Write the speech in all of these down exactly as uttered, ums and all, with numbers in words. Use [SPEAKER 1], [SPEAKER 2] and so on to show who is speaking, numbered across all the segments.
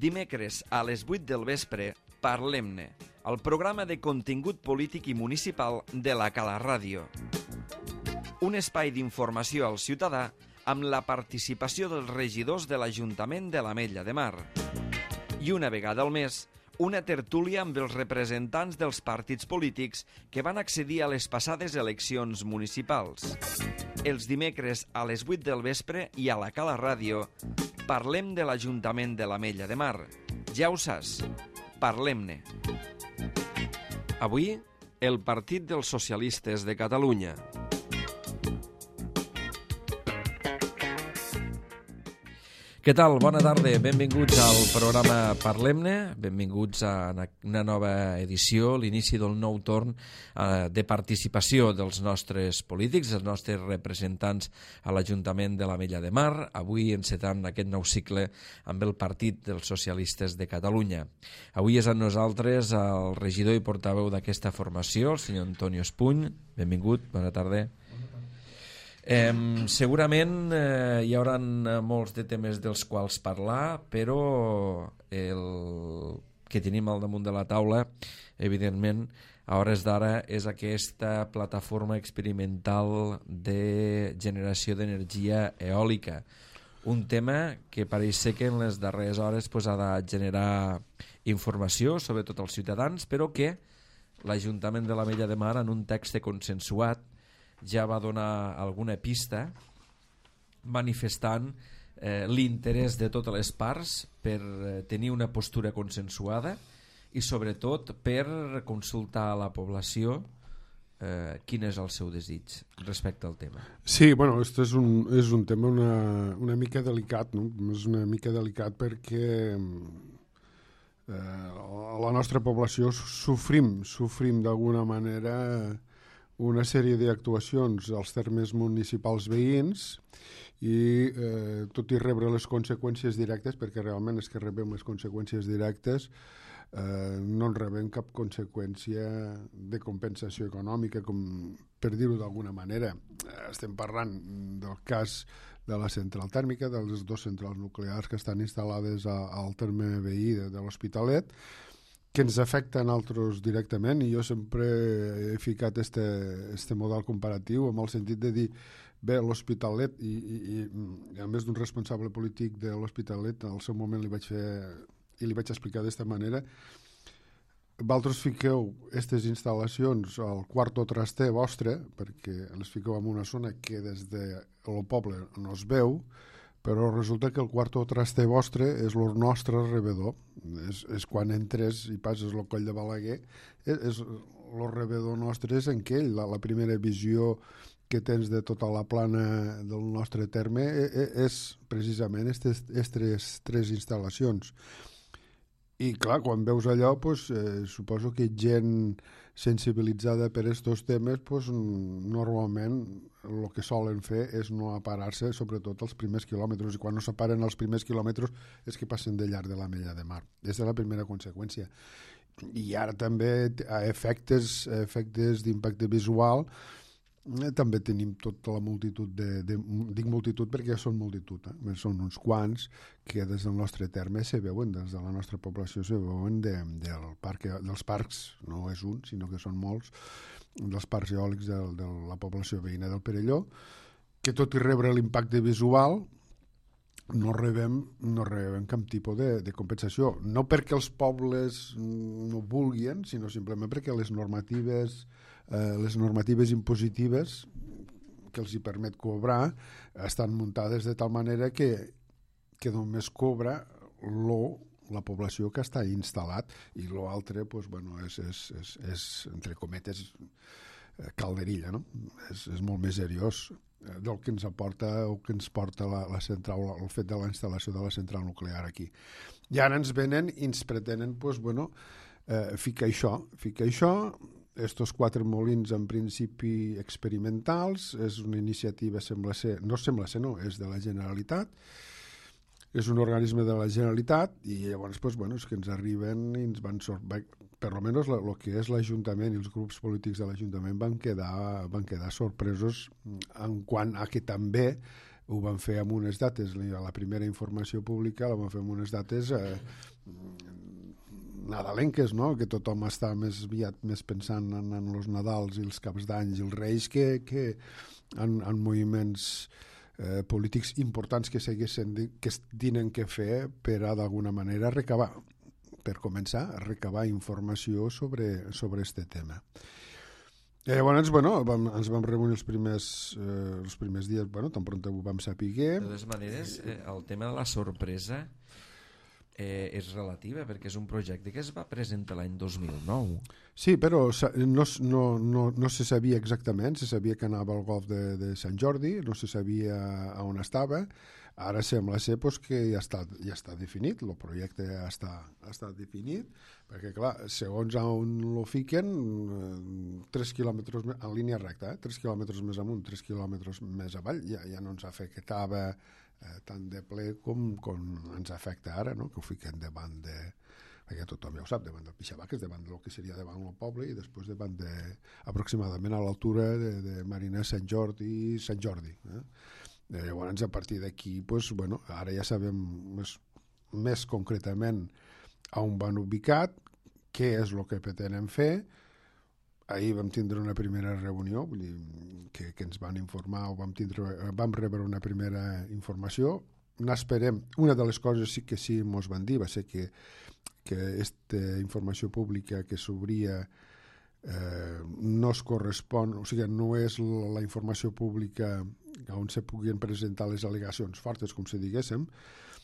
[SPEAKER 1] Dimecres a les vuit del vespre, Parlem-ne, el programa de contingut polític i municipal de la Cala Ràdio. Un espai d'informació al ciutadà amb la participació dels regidors de l'Ajuntament de l'Ametlla de Mar. I una vegada al mes, una tertúlia amb els representants dels partits polítics que van accedir a les passades eleccions municipals. Els dimecres a les vuit del vespre i a la Cala Ràdio parlem de l'Ajuntament de l'Ametlla de Mar. Ja ho saps, parlem-ne. Avui, el Partit dels Socialistes de Catalunya. Què tal? Bona tarda, benvinguts al programa Parlem-ne, benvinguts a una nova edició, l'inici del nou torn eh, de participació dels nostres polítics, dels nostres representants a l'Ajuntament de l'Ametlla de Mar, avui encetant aquest nou cicle amb el Partit dels Socialistes de Catalunya. Avui és amb nosaltres el regidor i portaveu d'aquesta formació, el senyor Antonio Espuny. Benvingut, bona tarda. Eh, segurament eh, hi haurà molts de temes dels quals parlar, però el que tenim al damunt de la taula, evidentment, a hores d'ara és aquesta plataforma experimental de generació d'energia eòlica. Un tema que pareix ser que en les darreres hores pues, ha de generar informació, sobretot als ciutadans, però que l'Ajuntament de l'Ametlla de Mar, en un text consensuat, ja va donar alguna pista manifestant eh, l'interès de totes les parts per eh, tenir una postura consensuada i sobretot per consultar a la població eh, quin és el seu desig respecte al tema.
[SPEAKER 2] Sí, bueno, este és un, és un tema una, una mica delicat, no? És una mica delicat perquè eh, a la nostra població sofrim, sofrim d'alguna manera una sèrie d'actuacions als termes municipals veïns i eh, tot i rebre les conseqüències directes, perquè realment és que rebem les conseqüències directes, eh, no en rebem cap conseqüència de compensació econòmica, com per dir-ho d'alguna manera. Eh, estem parlant del cas de la central tèrmica, de les dues centrals nuclears que estan instal·lades a, al terme veí de, de l'Hospitalet, que ens afecten altres directament, i jo sempre he ficat este, este model comparatiu amb el sentit de dir, bé, l'Hospitalet, i, i, i a més d'un responsable polític de l'Hospitalet, al seu moment li vaig fer i li vaig explicar d'esta manera, vosaltres fiqueu aquestes instal·lacions al quarto traster vostre, perquè les fiqueu en una zona que des del poble no es veu, però resulta que el quarto traster vostre és el nostre rebedor. És, és quan entres i passes el coll de Balaguer, és, és, el rebedor nostre és en aquell. La, la primera visió que tens de tota la plana del nostre terme és, és precisament aquestes tres instal·lacions. I clar, quan veus allò, pues, eh, suposo que gent sensibilitzada per aquests temes, pues, normalment el que solen fer és no aparar-se, sobretot els primers quilòmetres, i quan no s'aparen els primers quilòmetres és que passen de llarg de l'Ametlla de Mar. Aquesta és la primera conseqüència. I ara també a efectes, a efectes d'impacte visual eh, també tenim tota la multitud de, de, dic multitud perquè són multitud, eh? Són uns quants que des del nostre terme se veuen, des de la nostra població se veuen de, del parc, dels parcs, no és un, sinó que són molts, dels parcs eòlics de, de la població veïna del Perelló, que tot i rebre l'impacte visual no rebem, no rebem cap tipus de, de compensació. No perquè els pobles no vulguin, sinó simplement perquè les normatives, eh, les normatives impositives que els hi permet cobrar estan muntades de tal manera que, que només cobra lo la població que està instal·lat, i l'altre pues, bueno, és, és, és, és, entre cometes, calderilla, no? És, és molt més seriós del que ens aporta o que ens porta la, la central, el fet de la instal·lació de la central nuclear aquí. I ara ens venen i ens pretenen pues, bueno, eh, ficar això, ficar això, estos quatre molins en principi experimentals, és una iniciativa, sembla ser, no sembla ser, no, és de la Generalitat, és un organisme de la Generalitat, i llavors pues, bueno, és que ens arriben i ens van sortir, per almenys el que és l'Ajuntament i els grups polítics de l'Ajuntament van quedar, van quedar sorpresos en quant a que també ho van fer amb unes dates, la primera informació pública la van fer amb unes dates eh, nadalenques, no? Que tothom està més aviat més pensant en, en els Nadals i els Caps d'Any i els Reis que, que en, en moviments eh, polítics importants que s'haguessin que tenen que fer per a d'alguna manera recabar, per començar a recabar informació sobre, sobre este tema. Eh, llavors, bueno, vam, ens vam reunir els primers, eh, els primers dies, bueno, tan pront ho vam saber.
[SPEAKER 1] De totes maneres, eh, el tema de la sorpresa eh, és relativa, perquè és un projecte que es va presentar l'any dos mil nou.
[SPEAKER 2] Sí, però no, no, no, no se sabia exactament, se sabia que anava al golf de, de Sant Jordi, no se sabia on estava. Ara sembla ser pues, que ja està, ja està definit, el projecte ja està, està definit, perquè clar, segons on lo fiquen, tres quilòmetres en línia recta, eh? tres quilòmetres més amunt, tres quilòmetres més avall, ja, ja no ens afectava eh, tant de ple com, com ens afecta ara, no? Que ho fiquen davant de... perquè tothom ja ho sap, davant del Pixabaques, davant del que seria davant el poble i després davant de, aproximadament a l'altura de, de Marina Sant Jordi i Sant Jordi. Eh? Llavors, a partir d'aquí, pues, bueno, ara ja sabem més, més concretament on van ubicat, què és el que pretenen fer. Ahir vam tindre una primera reunió, vull dir, que, que ens van informar, o vam, tindre, vam rebre una primera informació. N'esperem, una de les coses sí que sí ens van dir va ser que, que aquesta informació pública que s'obria Eh, no es correspon, o sigui, no és la, la informació pública on se puguin presentar les al·legacions fortes, com si diguéssim,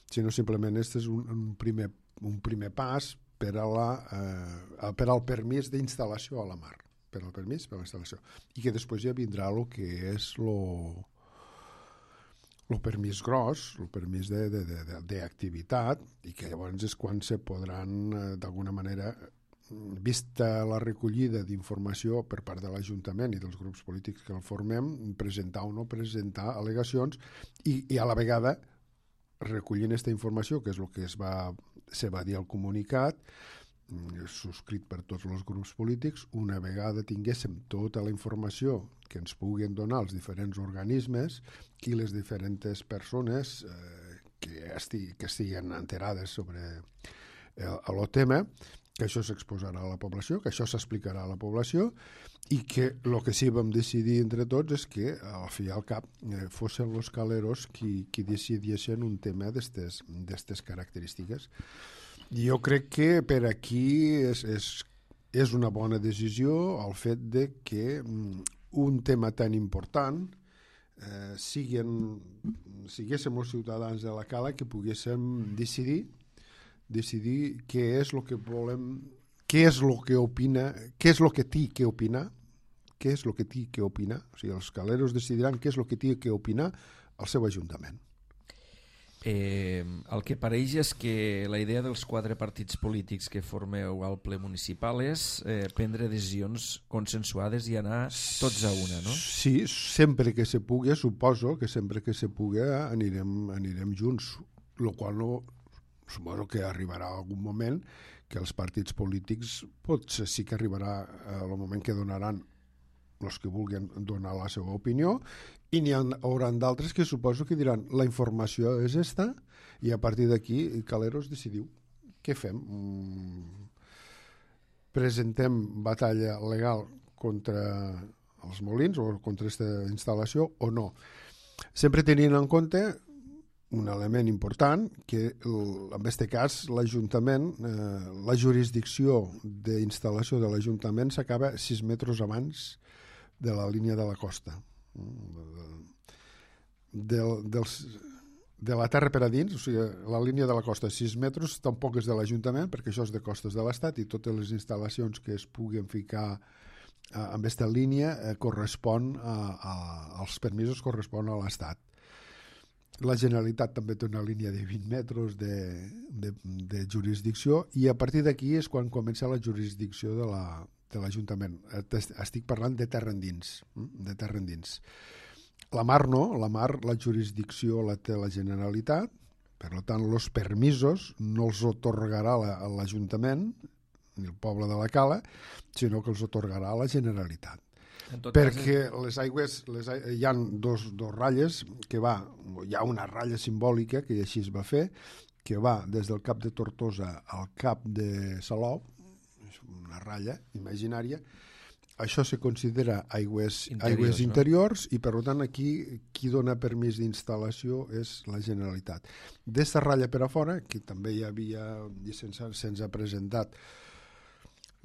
[SPEAKER 2] sinó simplement aquest és un, un, primer, un primer pas per, a la, eh, per al permís d'instal·lació a la mar, per al permís per a la instal·lació, i que després ja vindrà el que és lo, el permís gros, el permís d'activitat, i que llavors és quan se podran, eh, d'alguna manera, vista la recollida d'informació per part de l'Ajuntament i dels grups polítics que el formem, presentar o no presentar al·legacions i, i a la vegada recollint aquesta informació, que és el que es va, se va dir al comunicat, subscrit per tots els grups polítics, una vegada tinguéssim tota la informació que ens puguin donar els diferents organismes i les diferents persones eh, que, esti, que estiguen enterades sobre el, el tema, que això s'exposarà a la població, que això s'explicarà a la població i que el que sí vam decidir entre tots és que al fi i al cap eh, fossin els caleros qui, qui decidissin un tema d'aquestes característiques. I jo crec que per aquí és, és, és una bona decisió el fet de que un tema tan important eh, siguin, siguéssim els ciutadans de la Cala que poguéssim decidir decidir què és el que volem, què és el que opina, què és el que té que opinar, què és el que té que opinar, o sigui, els caleros decidiran què és el que té que opinar al seu ajuntament.
[SPEAKER 1] Eh, el que pareix és que la idea dels quatre partits polítics que formeu al ple municipal és eh, prendre decisions consensuades i anar tots a una, no?
[SPEAKER 2] Sí, sempre que se pugui, suposo que sempre que se pugui anirem, anirem junts, el qual no... suposo que arribarà algun moment que els partits polítics potser sí que arribarà el moment que donaran els que vulguin donar la seva opinió i n'hi haurà d'altres que suposo que diran la informació és esta i a partir d'aquí Caleros decidiu què fem? Mm, presentem batalla legal contra els molins o contra aquesta instal·lació o no? Sempre tenint en compte un element important, que en aquest cas l'Ajuntament, eh, la jurisdicció d'instal·lació de l'Ajuntament s'acaba sis metres abans de la línia de la costa. Del, dels, de la terra per a dins, o sigui, la línia de la costa sis metres tampoc és de l'Ajuntament, perquè això és de costes de l'Estat i totes les instal·lacions que es puguen ficar eh, amb aquesta línia eh, correspon a, a, als permisos correspon a l'Estat. La Generalitat també té una línia de vint metres de, de, de jurisdicció i a partir d'aquí és quan comença la jurisdicció de la, de l'Ajuntament. Estic parlant de terra endins, de terra endins. La mar no, la mar, la jurisdicció la té la Generalitat, per tant, els permisos no els otorgarà l'Ajuntament, ni el poble de la Cala, sinó que els otorgarà la Generalitat. perquè cas... les aigües, les, hi ha dos, dos ratlles que va, hi ha una ratlla simbòlica que així es va fer, que va des del cap de Tortosa al cap de Salou, una ratlla imaginària. Això se considera aigües interiors, aigües interiors no? I per tant aquí qui dona permís d'instal·lació és la Generalitat. D'esta ratlla per a fora, que també hi havia, i se'ns ha, se'ns ha presentat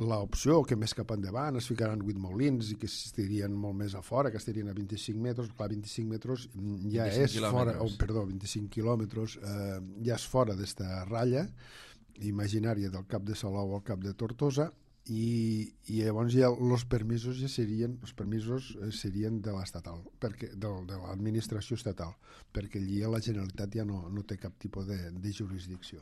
[SPEAKER 2] l'opció que més cap endavant es ficaran vuit molins i que estirien molt més a fora, que estirien a vint-i-cinc metres, clar, vint-i-cinc metres ja és fora, oh, perdó, vint-i-cinc quilòmetres, eh, ja és fora d'esta ratlla imaginària del cap de Salou al cap de Tortosa. I, i llavors ja els permisos ja serien els permisos serien de l'estatal, perquè de, de l'administració estatal, perquè allí la Generalitat ja no, no té cap tipus de, de jurisdicció.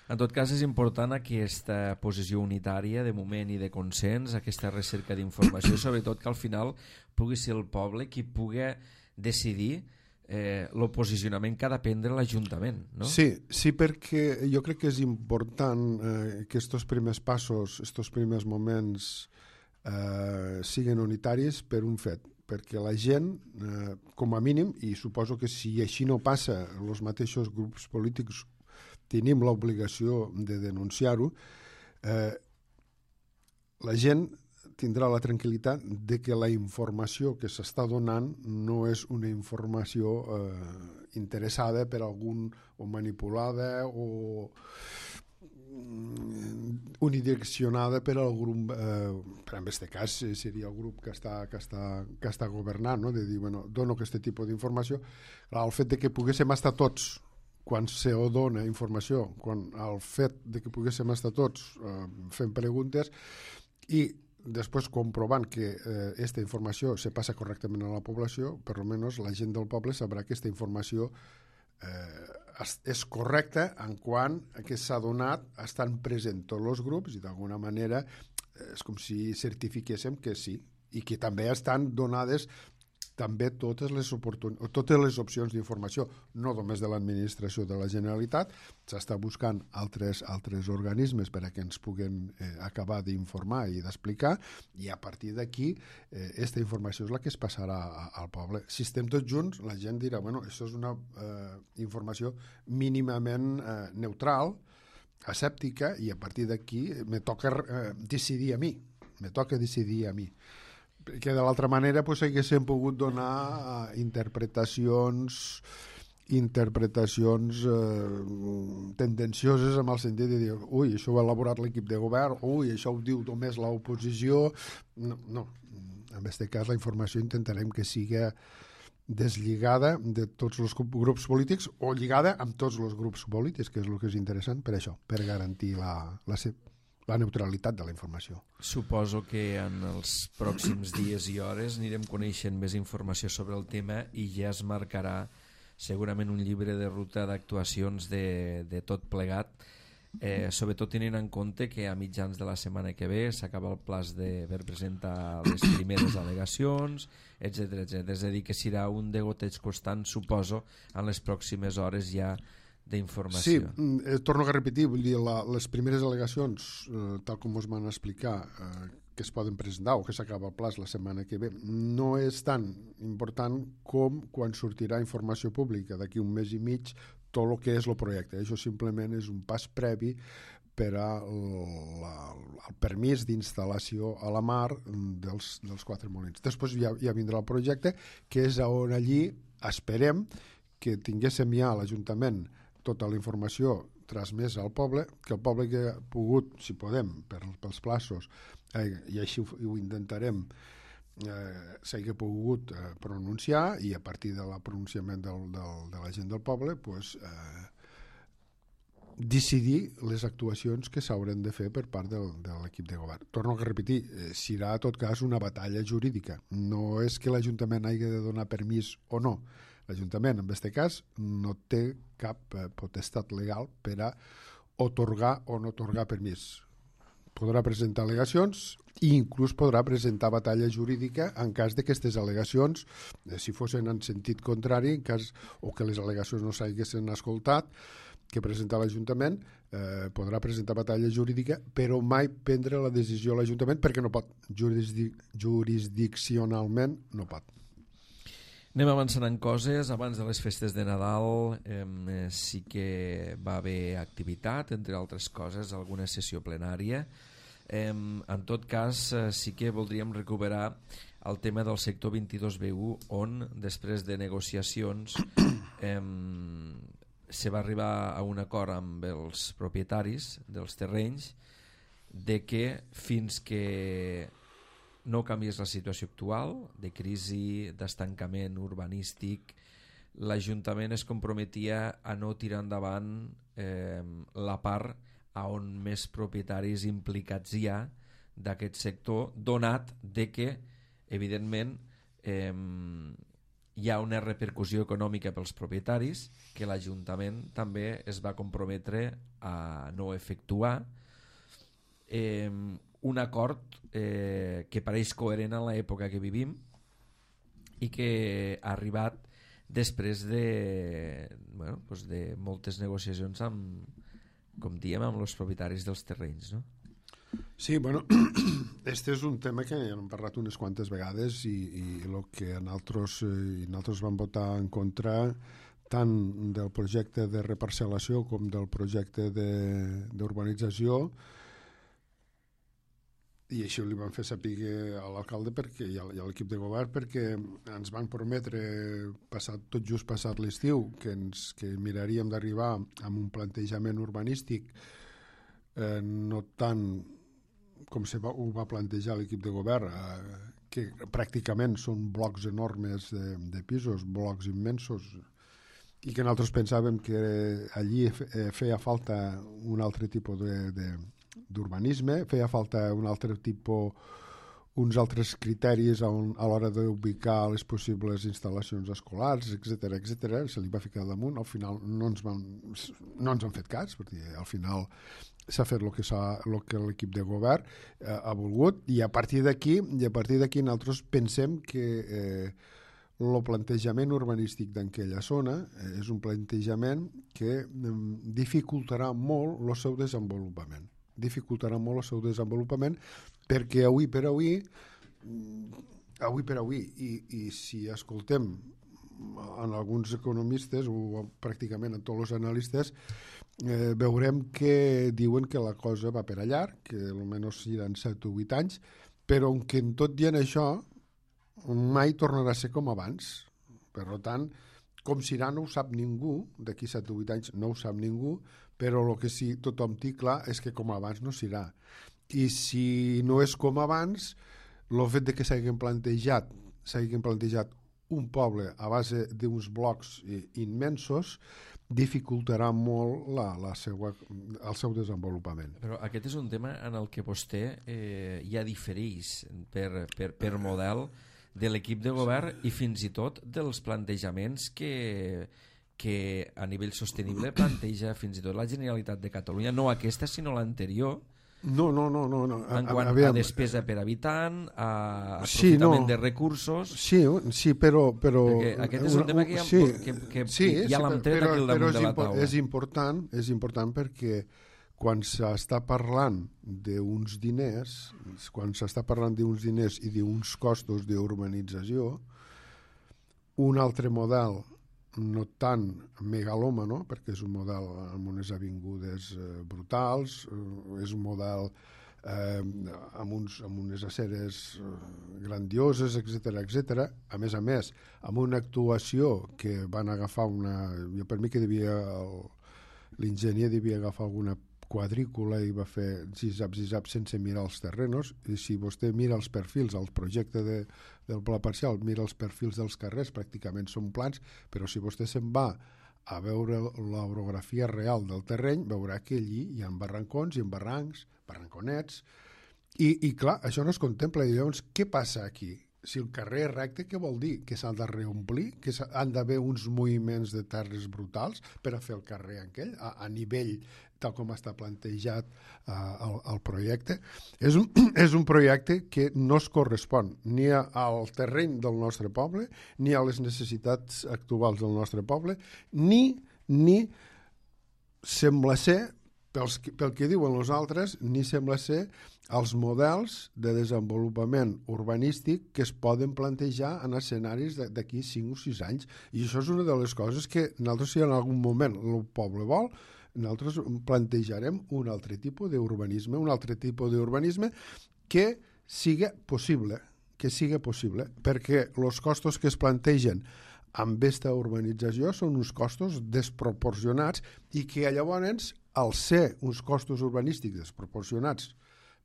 [SPEAKER 1] En tot cas és important aquesta posició unitària de moment i de consens, aquesta recerca d'informació, sobretot que al final pugui ser el poble qui pugui decidir Eh, el posicionament que ha de prendre l'Ajuntament, no?
[SPEAKER 2] Sí, sí, perquè jo crec que és important eh, que estos primers passos, estos primers moments eh, siguin unitaris per un fet, perquè la gent, eh, com a mínim, i suposo que si així no passa, els mateixos grups polítics tenim l'obligació de denunciar-ho, eh, la gent tindrà la tranquil·litat de que la informació que s'està donant no és una informació eh, interessada per algun o manipulada o unidireccionada per al grup, eh, per en aquest cas seria el grup que està, que està, que està governant, no? De dir, bueno, dono aquest tipus d'informació. El fet de que poguéssim estar tots quan se dona informació, quan el fet de que poguéssim estar tots eh, fent preguntes i després comprovant que aquesta eh, informació se passa correctament a la població, per almenys la gent del poble sabrà que aquesta informació eh, és correcta en quant que s'ha donat, estan presents tots els grups i d'alguna manera és com si certifiquéssim que sí, i que també estan donades també totes les, oportun... totes les opcions d'informació, no només de l'administració de la Generalitat, s'està buscant altres, altres organismes per a que ens puguen eh, acabar d'informar i d'explicar, i a partir d'aquí aquesta eh, informació és la que es passarà a, al poble. Si estem tots junts, la gent dirà, bueno, això és una eh, informació mínimament eh, neutral, escèptica, i a partir d'aquí me toca eh, decidir a mi, me toca decidir a mi. Que de l'altra manera pues, haguéssim pogut donar uh, interpretacions interpretacions eh, tendencioses en el sentit de dir, ui, això ho ha elaborat l'equip de govern, ui, això ho diu només l'oposició. No, no, en aquest cas la informació intentarem que siga deslligada de tots els grups polítics o lligada amb tots els grups polítics, que és el que és interessant per això, per garantir la, la la neutralitat de la informació.
[SPEAKER 1] Suposo que en els pròxims dies i hores anirem coneixent més informació sobre el tema i ja es marcarà segurament un llibre de ruta d'actuacions de, de tot plegat, eh, sobretot tenint en compte que a mitjans de la setmana que ve s'acaba el plaç de per presentar les primeres al·legacions, etcètera etcètera. És a dir, que serà un degoteig constant, suposo, en les pròximes hores ja d'informació.
[SPEAKER 2] Sí, eh, torno a repetir, vull dir, la, les primeres al·legacions, eh, tal com us van explicar, eh, que es poden presentar o que s'acaba el plaç la setmana que ve, no és tan important com quan sortirà informació pública d'aquí un mes i mig tot el que és el projecte. Això simplement és un pas previ per al permís d'instal·lació a la mar dels, dels quatre molins. Després ja, ja vindrà el projecte, que és on allí esperem que tinguéssim ja a l'Ajuntament tota la informació transmesa al poble, que el poble que ha pogut, si podem, per, pels plaços, eh, i així ho, ho intentarem, eh, s'hagi pogut eh, pronunciar, i a partir del pronunciament del, del, de la gent del poble, pues, eh, decidir les actuacions que s'hauran de fer per part del, de l'equip de govern. Torno a repetir, eh, serà en tot cas una batalla jurídica. No és que l'Ajuntament hagi de donar permís o no. L'Ajuntament, en aquest cas, no té cap eh, potestat legal per a otorgar o no otorgar permís. Podrà presentar al·legacions i inclús podrà presentar batalla jurídica en cas de que aquestes al·legacions, eh, si fossin en sentit contrari, en cas o que les al·legacions no s'haguessin escoltat, que presenta l'Ajuntament, eh, podrà presentar batalla jurídica, però mai prendre la decisió a l'Ajuntament perquè no pot, jurisdic jurisdiccionalment no pot.
[SPEAKER 1] Anem avançant en coses. Abans de les festes de Nadal eh, sí que va haver activitat, entre altres coses, alguna sessió plenària. Eh, en tot cas, eh, sí que voldríem recuperar el tema del sector vint-i-dos B u, on, després de negociacions, eh, se va arribar a un acord amb els propietaris dels terrenys de que fins que no canviés la situació actual de crisi, d'estancament urbanístic, l'Ajuntament es comprometia a no tirar endavant eh, la part a on més propietaris implicats hi ha d'aquest sector, donat de que, evidentment, eh, hi ha una repercussió econòmica pels propietaris que l'Ajuntament també es va comprometre a no efectuar. Eh, un acord eh, que pareix coherent en l'època que vivim i que ha arribat després de, bueno, doncs de moltes negociacions amb, com diem, amb els propietaris dels terrenys, no?
[SPEAKER 2] Sí, bueno, este és un tema que ja hem parlat unes quantes vegades i, i el que nosaltres, eh, nosaltres vam votar en contra tant del projecte de reparcel·lació com del projecte d'urbanització, i això li van fer saber a l'alcalde perquè i a l'equip de govern, perquè ens van prometre passat, tot just passat l'estiu que, ens, que miraríem d'arribar amb un plantejament urbanístic eh, no tant com se va, ho va plantejar l'equip de govern, eh, que pràcticament són blocs enormes de, de pisos, blocs immensos, i que nosaltres pensàvem que allí feia falta un altre tipus de, de d'urbanisme, feia falta un altre tipus, uns altres criteris a, un, a l'hora d'ubicar les possibles instal·lacions escolars, etcètera, etcètera. Se li va ficar damunt, al final no ens, van, no ens han fet cas, perquè al final s'ha fet el que, el que l'equip de govern eh, ha volgut, i a partir d'aquí i a partir d'aquí nosaltres pensem que eh, el plantejament urbanístic d'aquella zona eh, és un plantejament que eh, dificultarà molt el seu desenvolupament. dificultarà molt el seu desenvolupament perquè avui per avui avui per avui i, i si escoltem en alguns economistes o pràcticament en tots els analistes eh, veurem que diuen que la cosa va per allà, que almenys seran set o vuit anys, però que en tot dient això mai tornarà a ser com abans. Per tant, com serà no ho sap ningú, d'aquí set o vuit anys no ho sap ningú, però el que sí tothom té clar és que com abans no serà. I si no és com abans, el fet de que s'hagin plantejat, s'hagin plantejat un poble a base d'uns blocs immensos dificultarà molt la, la seua, el seu desenvolupament.
[SPEAKER 1] Però aquest és un tema en el que vostè eh, ja difereix per, per, per model de l'equip de govern i fins i tot dels plantejaments que, que a nivell sostenible planteja fins i tot la Generalitat de Catalunya, no aquesta sinó l'anterior.
[SPEAKER 2] No, no, no, no, no.
[SPEAKER 1] En quant a, a despesa per habitant, a aprofitament sí, no. de recursos...
[SPEAKER 2] Sí, sí, però... però
[SPEAKER 1] Perquè aquest és un tema que ja, sí, que, que
[SPEAKER 2] sí,
[SPEAKER 1] ja l'hem tret aquí al damunt de la taula.
[SPEAKER 2] És important, és important perquè quan s'està parlant d'uns diners, quan s'està parlant d'uns diners i d'uns costos d'urbanització, un altre model no tan megalòmano, perquè és un model amb unes avingudes eh, brutals, eh, és un model eh, amb, uns, amb unes aceres eh, grandioses, etcètera, etcètera. A més a més, amb una actuació que van agafar una... Jo per mi que devia... L'enginyer devia agafar alguna quadrícula i va fer zizap, zizap sense mirar els terrenos, i si vostè mira els perfils, el projecte de, del pla parcial, mira els perfils dels carrers, pràcticament són plans, però si vostè se'n va a veure l'orografia real del terreny, veurà que allí hi ha barrancons, hi ha barrancs, barranconets, i, i clar, això no es contempla, i llavors què passa aquí? Si el carrer és recte, què vol dir? Que s'ha de reomplir? Que han d'haver uns moviments de terres brutals per a fer el carrer aquell, a, a nivell tal com està plantejat uh, el, el projecte? És un, és un projecte que no es correspon ni a, al terreny del nostre poble, ni a les necessitats actuals del nostre poble, ni, ni sembla ser, pels, pel que diuen els altres, ni sembla ser els models de desenvolupament urbanístic que es poden plantejar en escenaris d'aquí cinc o sis anys. I això és una de les coses que nosaltres, si en algun moment el poble vol, nosaltres plantejarem un altre tipus d'urbanisme, un altre tipus d'urbanisme que siga possible, que siga possible, perquè els costos que es plantegen amb aquesta urbanització són uns costos desproporcionats i que llavors, al ser uns costos urbanístics desproporcionats,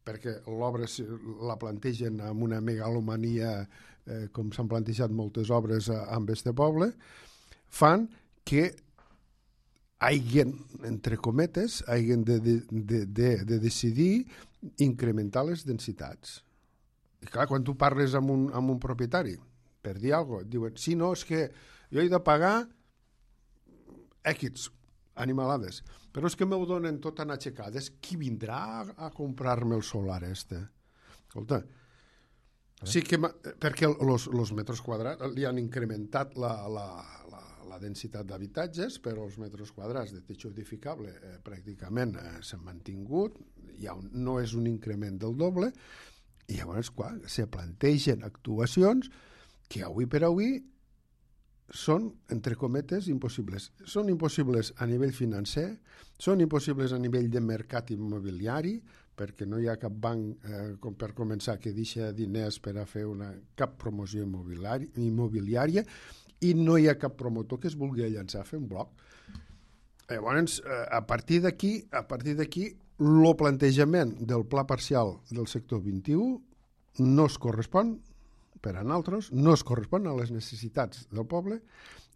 [SPEAKER 2] perquè l'obra la plantegen amb una megalomania, eh, com s'han plantejat moltes obres amb este poble, fan que hagin, entre cometes, hagin de, de, de, de, de decidir incrementar les densitats. I clar, quan tu parles amb un, amb un propietari, per dir alguna cosa, diuen, sí, no, és que jo he de pagar X animalades, però és que m'ho donen tot en aixecades, qui vindrà a, a comprar-me el solar este? Escolta, sí que, perquè els metres quadrats li han incrementat la, la, la, la densitat d'habitatges, però els metres quadrats de techo edificable eh, pràcticament eh, s'han mantingut, ja un, no és un increment del doble, i llavors, clar, se plantegen actuacions que avui per avui són, entre cometes, impossibles. Són impossibles a nivell financer, són impossibles a nivell de mercat immobiliari, perquè no hi ha cap banc, eh, com per començar, que deixa diners per a fer una, cap promoció immobiliari, immobiliària, i no hi ha cap promotor que es vulgui llançar a fer un bloc. Llavors, eh, a partir d'aquí, a partir d'aquí, el plantejament del pla parcial del sector vint-i-u no es correspon per a nosaltres, no es correspon a les necessitats del poble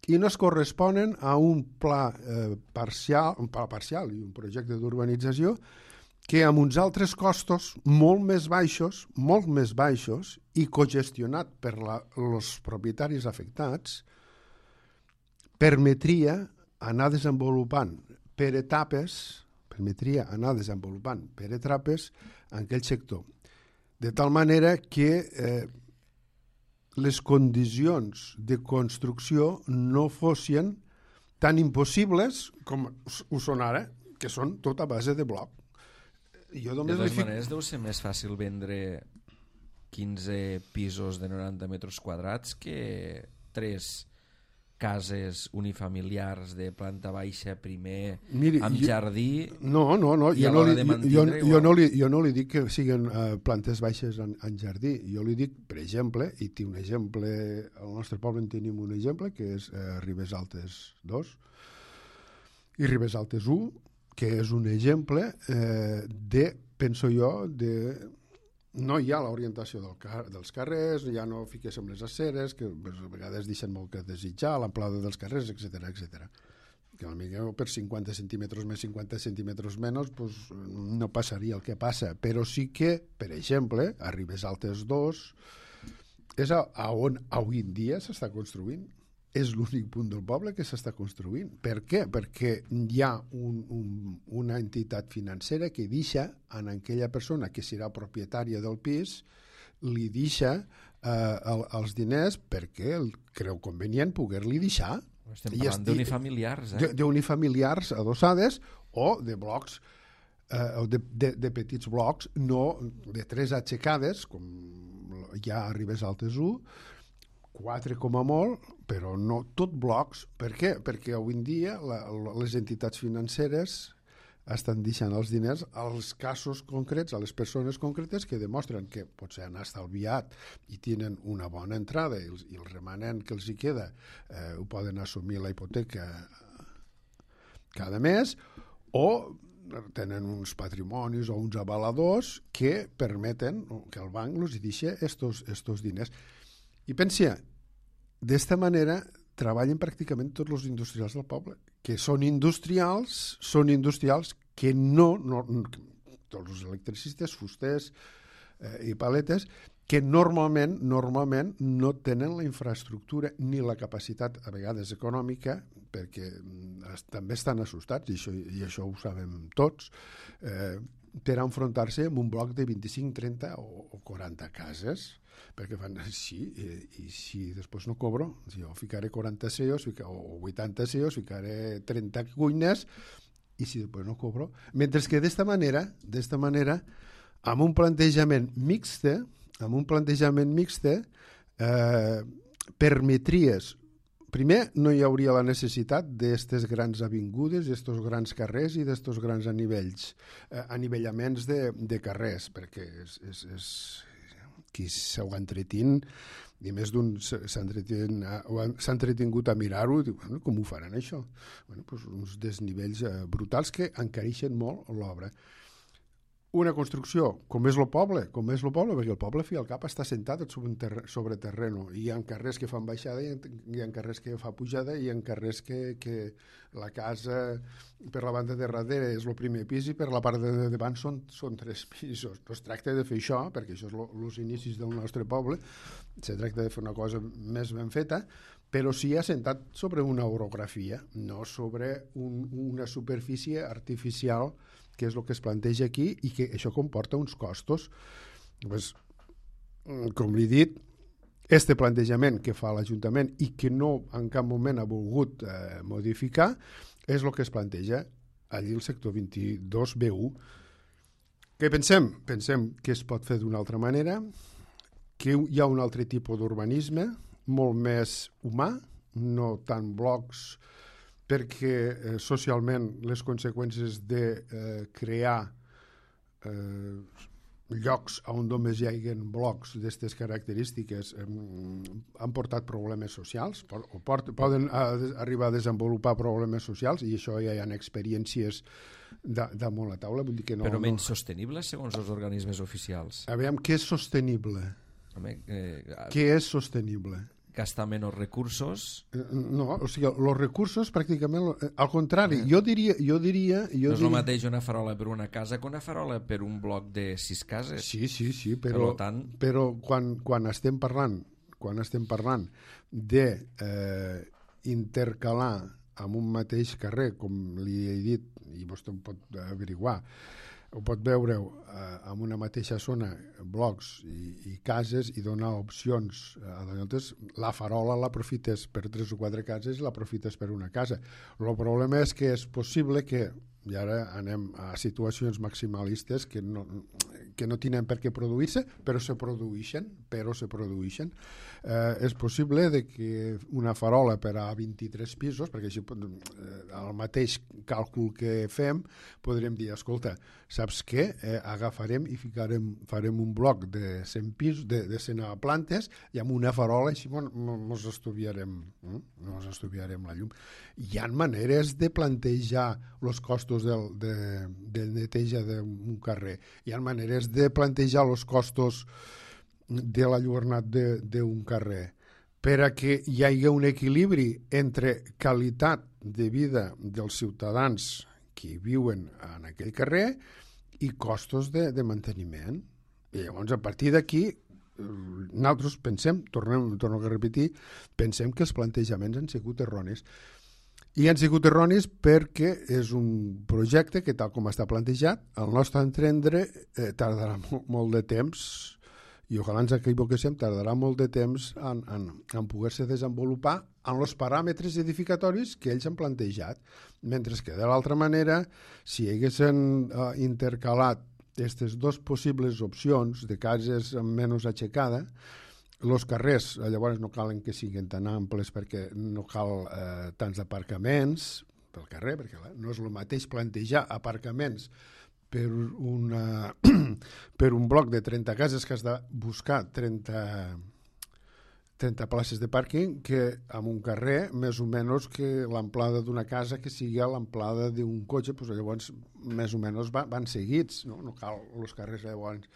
[SPEAKER 2] i no es corresponen a un pla eh, parcial, un pla parcial i un projecte d'urbanització que amb uns altres costos molt més baixos, molt més baixos i cogestionat per la, els propietaris afectats, permetria anar desenvolupant per etapes, permetria anar desenvolupant per etapes en aquell sector. De tal manera que eh, les condicions de construcció no fossin tan impossibles com ho són ara, que són tot a base de bloc.
[SPEAKER 1] Jo de totes fic... maneres deu ser més fàcil vendre quinze pisos de noranta metres quadrats que tres cases unifamiliars de planta baixa primer, Miri, amb jo, jardí.
[SPEAKER 2] No, no, no, jo no, li, jo, jo, no li, jo no li dic que siguin uh, plantes baixes en, en jardí. Jo li dic, per exemple, i té un exemple, al nostre poble en tenim un exemple, que és uh, Ribes Altes dos i Ribes Altes u, que és un exemple eh, de, penso jo, de... No hi ha l'orientació del car dels carrers, ja no fiques amb les aceres, que a vegades deixen molt que desitjar, l'amplada dels carrers, etcètera, etcètera. Que potser per cinquanta centímetres més, cinquanta centímetres menys, pues, no passaria el que passa. Però sí que, per exemple, a Ribes Altes dos és a, a on avui en dia s'està construint. És l'únic punt del poble que s'està construint. Per què? Perquè hi ha un, un, una entitat financera que deixa a aquella persona que serà propietària del pis, li deixa eh, el, els diners perquè el creu convenient poder-li deixar.
[SPEAKER 1] Estem parlant d'unifamiliars, eh?
[SPEAKER 2] D'unifamiliars adossades o de blocs, eh, o de, de, de petits blocs, no de tres aixecades, com hi ha a Ribes Altes u, quatre com a molt, però no tot blocs. Per què? Perquè avui en dia la, les entitats financeres estan deixant els diners als casos concrets, a les persones concretes que demostren que potser han estalviat i tenen una bona entrada i el, i el remanent que els hi queda eh, ho poden assumir la hipoteca cada mes, o tenen uns patrimonis o uns avaladors que permeten que el banc els deixi estos, estos diners. I pensa, d'esta manera treballen pràcticament tots els industrials del poble, que són industrials, són industrials que no, no tots els electricistes, fusters eh, i paletes, que normalment, normalment no tenen la infraestructura ni la capacitat, a vegades econòmica, perquè també estan assustats, i això, i això ho sabem tots, eh, per enfrontar-se amb un bloc de vint-i-cinc, trenta o, o quaranta cases, perquè fan, sí, i, i si després no cobro, si jo ficaré quaranta C E Os o vuitanta C E Os, ficaré trenta cuines, i si després no cobro. Mentre que d'esta manera, d'esta manera, amb un plantejament mixte, amb un plantejament mixte, eh, permetries, primer, no hi hauria la necessitat d'aquestes grans avingudes, d'aquests grans carrers i d'aquests grans anivells, eh, anivellaments de, de carrers, perquè és, és, és qui s'ho entretin, i més d'un s'ha entretingut a mirar-ho, i diu, bueno, com ho faran això? Bueno, doncs uns desnivells eh, brutals que encareixen molt l'obra. Una construcció, com és el poble, com és el poble, perquè el poble, fi al cap, està sentat sobre, terre, sobre terreno. Hi ha carrers que fan baixada, hi ha, hi ha carrers que fa pujada, i hi ha carrers que, que la casa per la banda de darrere és el primer pis i per la part de davant són, són tres pisos. No es tracta de fer això, perquè això és els inicis del nostre poble, se tracta de fer una cosa més ben feta, però sí assentat sobre una orografia, no sobre un, una superfície artificial, que és el que es planteja aquí, i que això comporta uns costos. Pues, com li he dit, este plantejament que fa l'Ajuntament i que no en cap moment ha volgut eh, modificar és el que es planteja allí al sector vint-i-dos B u. Què pensem? Pensem que es pot fer d'una altra manera, que hi ha un altre tipus d'urbanisme, molt més humà, no tant blocs, perquè eh, socialment les conseqüències de eh, crear eh, llocs on només hi hagi blocs d'aquestes característiques eh, han portat problemes socials, o port, poden a, arribar a desenvolupar problemes socials, i això ja hi ha experiències da, damunt la taula. Vull dir que no,
[SPEAKER 1] però menys
[SPEAKER 2] no...
[SPEAKER 1] sostenible segons els organismes oficials.
[SPEAKER 2] Aviam, què és sostenible?
[SPEAKER 1] Home, eh,
[SPEAKER 2] què és sostenible?
[SPEAKER 1] Gastar menys recursos?
[SPEAKER 2] No, o sigui, els recursos pràcticament, al contrari, jo diria... Jo diria jo
[SPEAKER 1] no és
[SPEAKER 2] diria...
[SPEAKER 1] el mateix una farola per una casa que una farola per un bloc de sis cases.
[SPEAKER 2] Sí, sí, sí, però,
[SPEAKER 1] per tant...
[SPEAKER 2] però quan, quan estem parlant quan estem parlant de eh, intercalar en un mateix carrer, com li he dit, i vostè ho pot averiguar, ho pot veure eh, en una mateixa zona, blocs i, i cases, i donar opcions. Llavors, la farola l'aprofites per tres o quatre cases i l'aprofites per una casa. El problema és que és possible que, i ara anem a situacions maximalistes que no, que no tenen per què produir-se, però se produeixen, però se produeixen. Eh, és possible de que una farola per a vint-i-tres pisos, perquè així eh, el mateix càlcul que fem, podrem dir, escolta, saps què? Eh, agafarem i ficarem, farem un bloc de cent pisos, de, de cent plantes, i amb una farola així ens estudiarem, eh? ens estudiarem la llum. Hi ha maneres de plantejar els costos del, de, de neteja d'un carrer. Hi ha maneres de plantejar els costos de l'enlluernat d'un carrer, per a que hi hagi un equilibri entre qualitat de vida dels ciutadans que viuen en aquell carrer i costos de, de manteniment. I llavors, a partir d'aquí, nosaltres pensem, tornem, torno a repetir, pensem que els plantejaments han sigut erronis. I han sigut erronis perquè és un projecte que, tal com està plantejat, al nostre entendre, eh, tardarà molt, molt de temps, i ojalà ens equivoquéssim, tardarà molt de temps en, en, en poder-se desenvolupar en els paràmetres edificatoris que ells han plantejat. Mentre que, de l'altra manera, si haguessin uh, intercalat aquestes dues possibles opcions de cases amb menys aixecada, els carrers llavors no calen que siguin tan amples perquè no cal eh, tants aparcaments pel carrer, perquè no és el mateix plantejar aparcaments per, una, per un bloc de trenta cases que has de buscar trenta, trenta places de pàrquing, que en un carrer més o menys que l'amplada d'una casa que sigui l'amplada d'un cotxe, doncs llavors més o menys van, van seguits, no? No cal els carrers llavors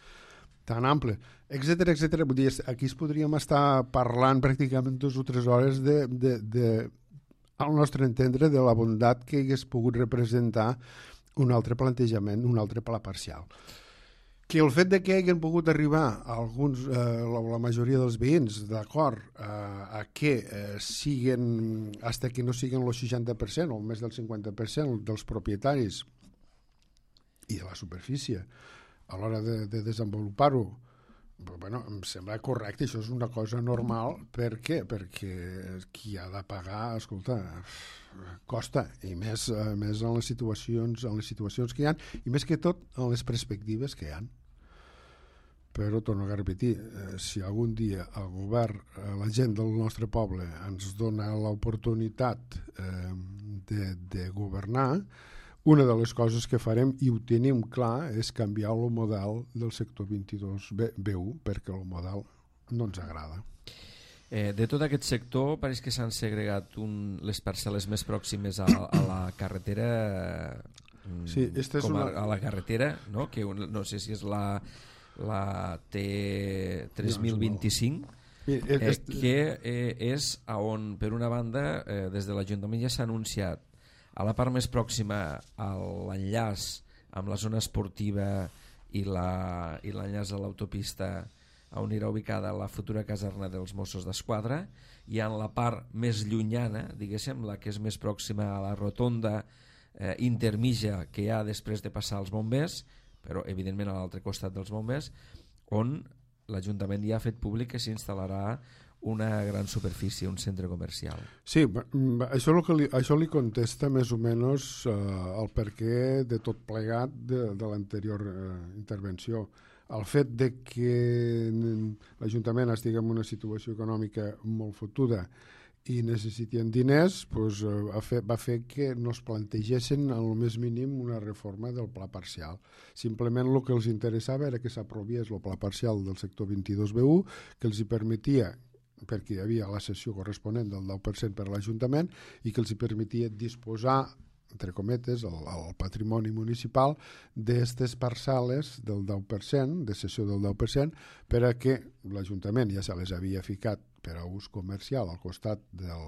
[SPEAKER 2] tan ample, etcètera, etcètera. Vull dir, aquí es podríem estar parlant pràcticament dues o tres hores de, de, de, al nostre entendre, de la bondat que hagués pogut representar un altre plantejament, un altre pla parcial. Que el fet de que hagin pogut arribar alguns, eh, la, la majoria dels veïns d'acord eh, a que eh, siguen, hasta que no siguen el seixanta per cent o més del cinquanta per cent dels propietaris i de la superfície a l'hora de, de desenvolupar-ho, Bueno, em sembla correcte, això és una cosa normal. Per què? Perquè qui ha de pagar, escolta, costa, i més, més en les situacions en les situacions que hi ha, i més que tot en les perspectives que hi ha. Però, torno a repetir, eh, si algun dia el govern, eh, la gent del nostre poble ens dona l'oportunitat eh, de, de governar, una de les coses que farem, i ho tenim clar, és canviar el model del sector vint-i-dos B u, perquè el model no ens agrada.
[SPEAKER 1] Eh, de tot aquest sector, pareix que s'han segregat un, les parcel·les més pròximes a, a la carretera, eh,
[SPEAKER 2] sí, esta és
[SPEAKER 1] com a,
[SPEAKER 2] una...
[SPEAKER 1] a la carretera, no? Que un, no sé si és la, la T tres mil vint-i-cinc, eh, que eh, és on, per una banda, eh, des de l'Ajuntament ja s'ha anunciat a la part més pròxima a l'enllaç amb la zona esportiva i l'enllaç a l'autopista on irà ubicada la futura caserna dels Mossos d'Esquadra, i en la part més llunyana, diguéssim, la que és més pròxima a la rotonda eh, intermitja que hi ha després de passar els bombers, però evidentment a l'altre costat dels bombers, on l'Ajuntament ja ha fet públic que s'instal·larà una gran superfície, un centre comercial.
[SPEAKER 2] Sí, això, que li, això li contesta més o menys eh, el perquè de tot plegat de, de l'anterior eh, intervenció. El fet de que l'Ajuntament estigui en una situació econòmica molt fotuda i necessitien diners, doncs, eh, va fer que no es plantegessin en el més mínim una reforma del pla parcial. Simplement el que els interessava era que s'aprovés el pla parcial del sector vint-i-dos B u, que els hi permetia, perquè hi havia la cessió corresponent del deu per cent per a l'Ajuntament, i que els hi permetia disposar, entre cometes, el, el patrimoni municipal d'aquestes parcel·les del deu per cent, de cessió del deu per cent, per a que l'Ajuntament ja se les havia ficat per a ús comercial al costat del,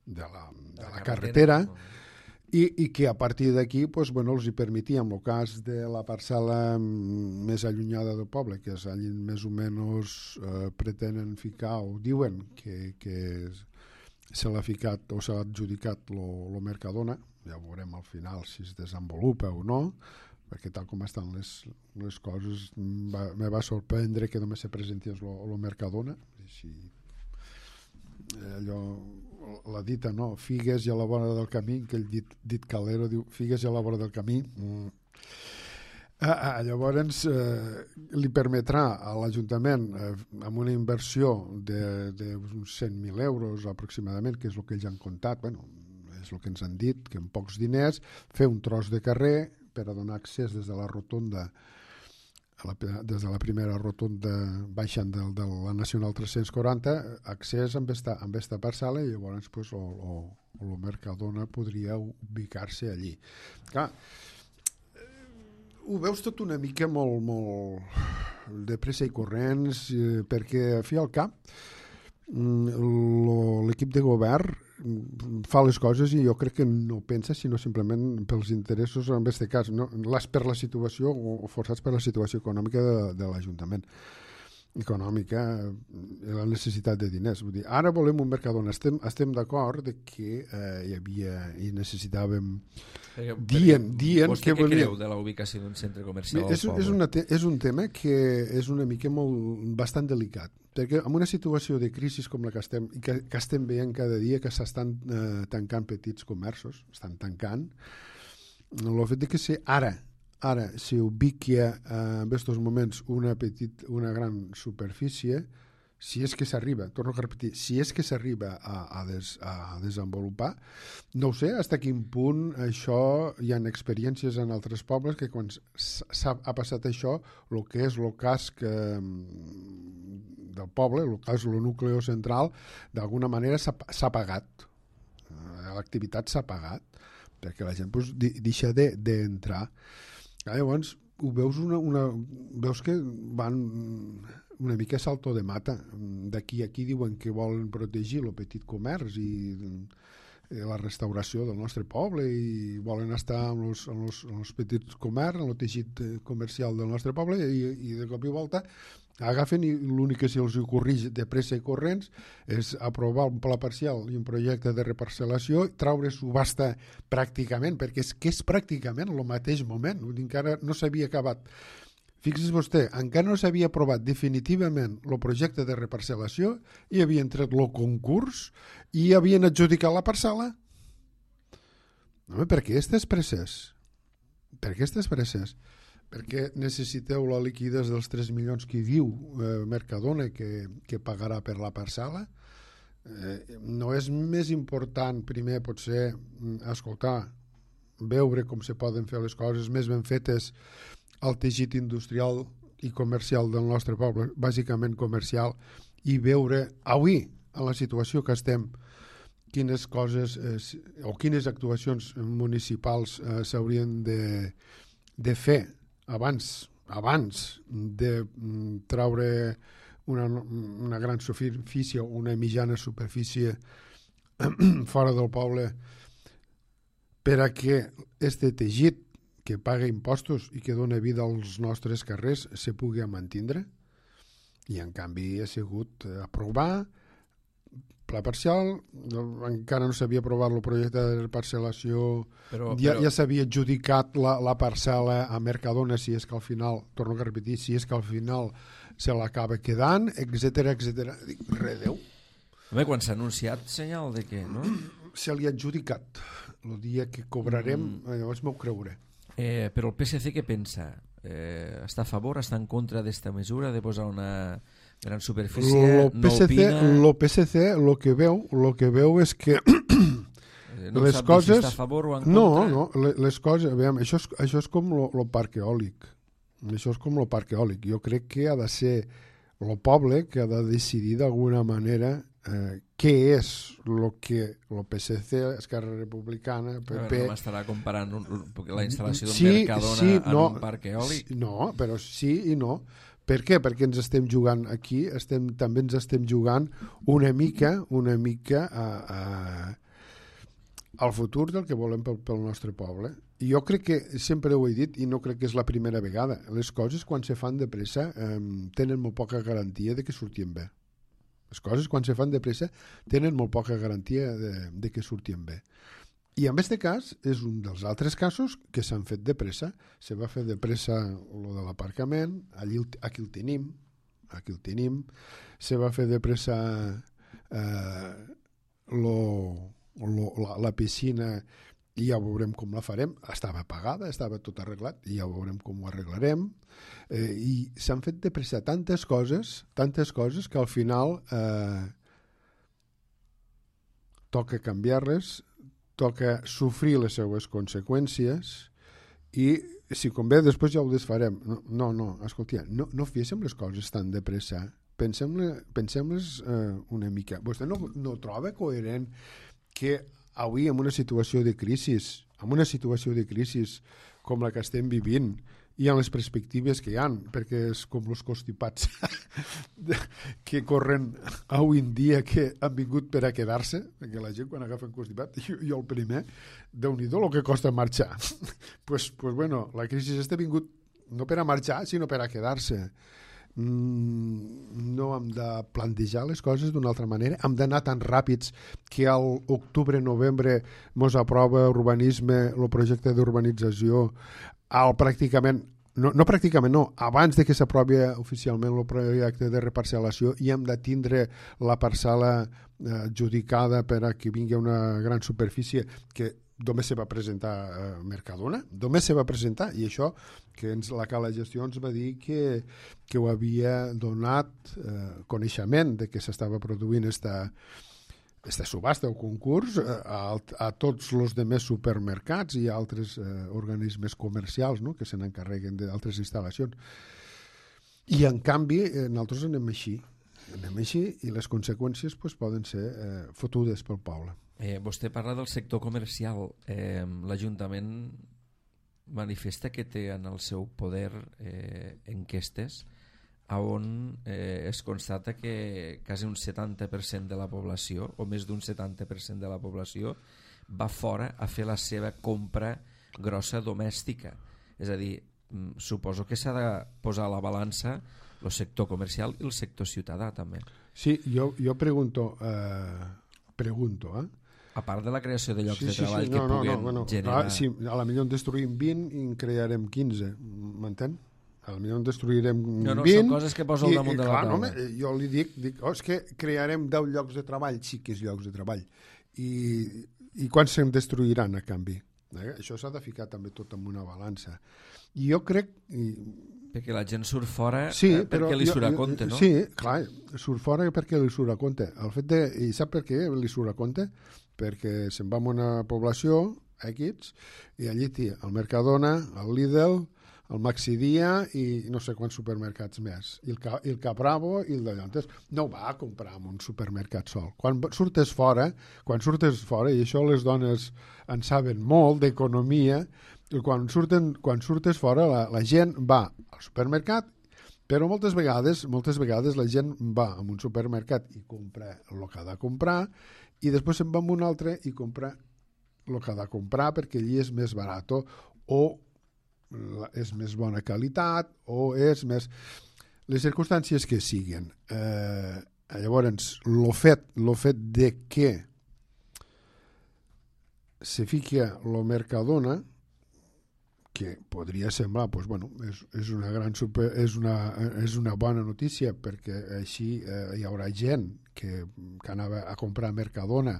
[SPEAKER 2] de, la, de la, la carretera, I, i que a partir d'aquí pues, bueno, els hi permetia, en el cas de la parcel·la més allunyada del poble, que és allí més o menys eh, pretenen ficar, o diuen que, que se l'ha ficat o s'ha adjudicat el Mercadona, ja veurem al final si es desenvolupa o no, perquè tal com estan les, les coses va, me va sorprendre que només se presentés el Mercadona, així allò, la dita, no? Figues i a la vora del camí, que el dit, dit Calero diu figues i a la vora del camí. Mm. Ah, ah, llavors eh, li permetrà a l'Ajuntament, eh, amb una inversió d'uns cent mil euros aproximadament, que és el que ells han comptat, bueno, és el que ens han dit, que amb pocs diners, fer un tros de carrer per a donar accés des de la rotonda, a la, des de la primera rotonda baixant de, de la Nacional tres-cents quaranta, accés amb esta, amb esta parcel·la, i llavors pues, o, o, o el Mercadona podria ubicar-se allí. Clar, ho veus tot una mica molt, molt de pressa i corrents, eh, perquè a fi al cap l'equip de govern fa les coses i jo crec que no pensa sinó simplement pels interessos en aquest cas, no? Les per la situació o forçats per la situació econòmica de, de l'Ajuntament econòmica, la necessitat de diners. Vull dir, ara volem un Mercadona, estem, estem d'acord de que eh, hi havia i necessitàvem
[SPEAKER 1] eh,
[SPEAKER 2] dient, dient
[SPEAKER 1] vostè
[SPEAKER 2] que
[SPEAKER 1] què
[SPEAKER 2] volia...
[SPEAKER 1] creu de la ubicació d'un centre comercial
[SPEAKER 2] és,
[SPEAKER 1] al poble?
[SPEAKER 2] És, una te és un tema que és una mica molt, bastant delicat, perquè en una situació de crisi com la que estem, que, que estem veient cada dia, que s'estan eh, tancant petits comerços, estan tancant, el fet de que ser ara Ara, si ubiqui eh, en aquests moments una, petit, una gran superfície, si és que s'arriba, torno a repetir, si és que s'arriba a, a, des, a desenvolupar, no ho sé fins a quin punt això, hi ha experiències en altres pobles que quan ha passat això, el que és el casc eh, del poble, el cas del nucli central, d'alguna manera s'ha pagat. L'activitat s'ha pagat, perquè la gent pues, deixa d'entrar. De, Llavors, ho veus, una, una, veus que van una mica salto de mata. D'aquí a aquí diuen que volen protegir el petit comerç i la restauració del nostre poble i volen estar amb els, amb els, amb els petits comerç, amb el teixit comercial del nostre poble i, i de cop i volta agafen i l'únic que se'ls ocorreix de pressa i corrents és aprovar un pla parcial i un projecte de reparcel·lació, traure subhasta pràcticament, perquè és que és pràcticament el mateix moment, encara no s'havia acabat Fixi's vostè, encara no s'havia aprovat definitivament el projecte de reparcel·lació i havien tret el concurs i havien adjudicat la parcel·la. Home, per què aquestes presses? Per què aquestes presses? Perquè necessiteu la liquidació dels tres milions que diu eh, Mercadona que, que pagarà per la parcel·la? Eh, no és més important primer potser escoltar, veure com se poden fer les coses més ben fetes al teixit industrial i comercial del nostre poble, bàsicament comercial, i veure avui, en la situació que estem, quines coses eh, o quines actuacions municipals eh, s'haurien de, de fer abans, abans de mm, traure una, una gran superfície o una mitjana superfície fora del poble per a que este teixit que paga impostos i que dona vida als nostres carrers se pugui mantindre. I en canvi ha sigut aprovar pla parcial, encara no s'havia aprovat el projecte de parcel·lació, però, ja, però... ja s'havia adjudicat la, la parcel·la a Mercadona, si és que al final, torno a repetir, si és que al final se l'acaba quedant, etcètera, etcètera. Dic, redeu.
[SPEAKER 1] Home, quan s'ha anunciat, senyal de què, no?
[SPEAKER 2] Se li ha adjudicat. El dia que cobrarem, mm. llavors m'ho creuré.
[SPEAKER 1] Eh, però el P S C què pensa? Eh, està a favor, està en contra d'esta mesura de posar una gran superfície?
[SPEAKER 2] Lo P S C,
[SPEAKER 1] no opina?
[SPEAKER 2] Lo P S C el que veu, lo que veu és que
[SPEAKER 1] no les sap coses... si està a favor o en
[SPEAKER 2] no,
[SPEAKER 1] contra?
[SPEAKER 2] No, no, les coses... Veiem, això, és, això és com el parc eòlic. Això és com el parc eòlic. Jo crec que ha de ser el poble que ha de decidir d'alguna manera eh, què és el que el P S C, Esquerra Republicana, P P...
[SPEAKER 1] No m'estarà comparant un, la instal·lació d'un
[SPEAKER 2] sí,
[SPEAKER 1] Mercadona
[SPEAKER 2] sí,
[SPEAKER 1] en
[SPEAKER 2] no,
[SPEAKER 1] un parc eòlic?
[SPEAKER 2] Sí, no, però sí i no. Per què? Perquè ens estem jugant aquí, estem, també ens estem jugant una mica, una mica a, a, al futur del que volem pel, pel nostre poble. I jo crec que, sempre ho he dit, i no crec que és la primera vegada, les coses quan se fan de pressa eh, tenen molt poca garantia de que surtin bé. Les coses quan se fan de pressa tenen molt poca garantia de, de que surtin bé. I en aquest cas és un dels altres casos que s'han fet de pressa. Se va fer de pressa el de l'aparcament, allí aquí el tenim, aquí el tenim. Se va fer de pressa eh, lo, lo, la, la piscina i ja veurem com la farem. Estava pagada, estava tot arreglat i ja veurem com ho arreglarem. Eh, I s'han fet de pressa tantes coses, tantes coses que al final eh, toca canviar-les, toca sofrir les seues conseqüències i si convé després ja ho desfarem. No, no, no escolta, no, no féssim les coses tan de pressa, pensem-les pensem eh, una mica. Vostè no, no troba coherent que avui en una situació de crisi, en una situació de crisi com la que estem vivint i en les perspectives que hi ha, perquè és com els constipats que corren avui en dia que han vingut per a quedar-se, perquè la gent quan agafen constipat, jo, jo el primer, Déu-n'hi-do el que costa marxar. pues, pues bueno, la crisi està vingut no per a marxar, sinó per a quedar-se. Mm, no hem de plantejar les coses d'una altra manera, hem d'anar tan ràpids que al octubre-novembre mos aprova urbanisme, el projecte d'urbanització, al pràcticament, no, no pràcticament no, abans de que s'aprovi oficialment el projecte de reparcel·lació i hem de tindre la parcel·la eh, adjudicada per a que vingui una gran superfície que només se va presentar a Mercadona, només se va presentar, i això que ens, la Cala Gestió ens va dir que, que ho havia donat eh, coneixement de que s'estava produint esta, esta subhasta o concurs a, a tots els demés supermercats i altres eh, organismes comercials, no?, que se n'encarreguen d'altres instal·lacions. I en canvi eh, nosaltres anem així, anem així i les conseqüències pues, poden ser eh, fotudes pel poble.
[SPEAKER 1] Eh, vostè parla del sector comercial. Eh, L'Ajuntament manifesta que té en el seu poder eh, enquestes on eh, es constata que quasi un setanta per cent de la població, o més d'un setanta per cent de la població, va fora a fer la seva compra grossa domèstica. És a dir, suposo que s'ha de posar a la balança el sector comercial i el sector ciutadà també.
[SPEAKER 2] Sí, jo, jo pregunto, eh, pregunto, eh?
[SPEAKER 1] A part de la creació de llocs
[SPEAKER 2] sí,
[SPEAKER 1] de
[SPEAKER 2] sí,
[SPEAKER 1] treball
[SPEAKER 2] sí,
[SPEAKER 1] que
[SPEAKER 2] no, no,
[SPEAKER 1] puguen
[SPEAKER 2] no, bueno,
[SPEAKER 1] generar...
[SPEAKER 2] Ah, sí, a la millor en destruïm vint i en crearem quinze, m'entén? Potser en destruirem
[SPEAKER 1] no, no,
[SPEAKER 2] vint.
[SPEAKER 1] Són coses que posa al damunt de la taula.
[SPEAKER 2] No, home, jo li dic, dic oh, és que crearem deu llocs de treball, sí que és llocs de treball. I, i quants se'n destruiran a canvi? Eh? Això s'ha de ficar també tot en una balança. I jo crec... I...
[SPEAKER 1] Perquè la gent surt fora
[SPEAKER 2] sí,
[SPEAKER 1] eh, perquè
[SPEAKER 2] però
[SPEAKER 1] li
[SPEAKER 2] jo,
[SPEAKER 1] surt a compte, no?
[SPEAKER 2] Sí, clar, surt fora perquè li surt a compte. El fet de, I sap per què li surt a compte? Perquè se'n va a una població, X, i allí té el Mercadona, el Lidl, el Maxidia i no sé quants supermercats més. I el, i el Capravo i el d'allò. Entonces, no va a comprar en un supermercat sol. Quan surtes fora, quan surtes fora, i això les dones en saben molt d'economia, quan, surten, quan surtes fora la, la gent va al supermercat, però moltes vegades moltes vegades la gent va a un supermercat i compra el que ha de comprar i després se'n va a un altre i compra el que ha de comprar perquè allí és més barat o és més bona qualitat o és més... Les circumstàncies que siguin. Eh, llavors, el fet, lo fet de que se fica el Mercadona, que podria semblar, pues, bueno, és, és, una gran super, és, una, és una bona notícia perquè així eh, hi haurà gent que, que anava a comprar Mercadona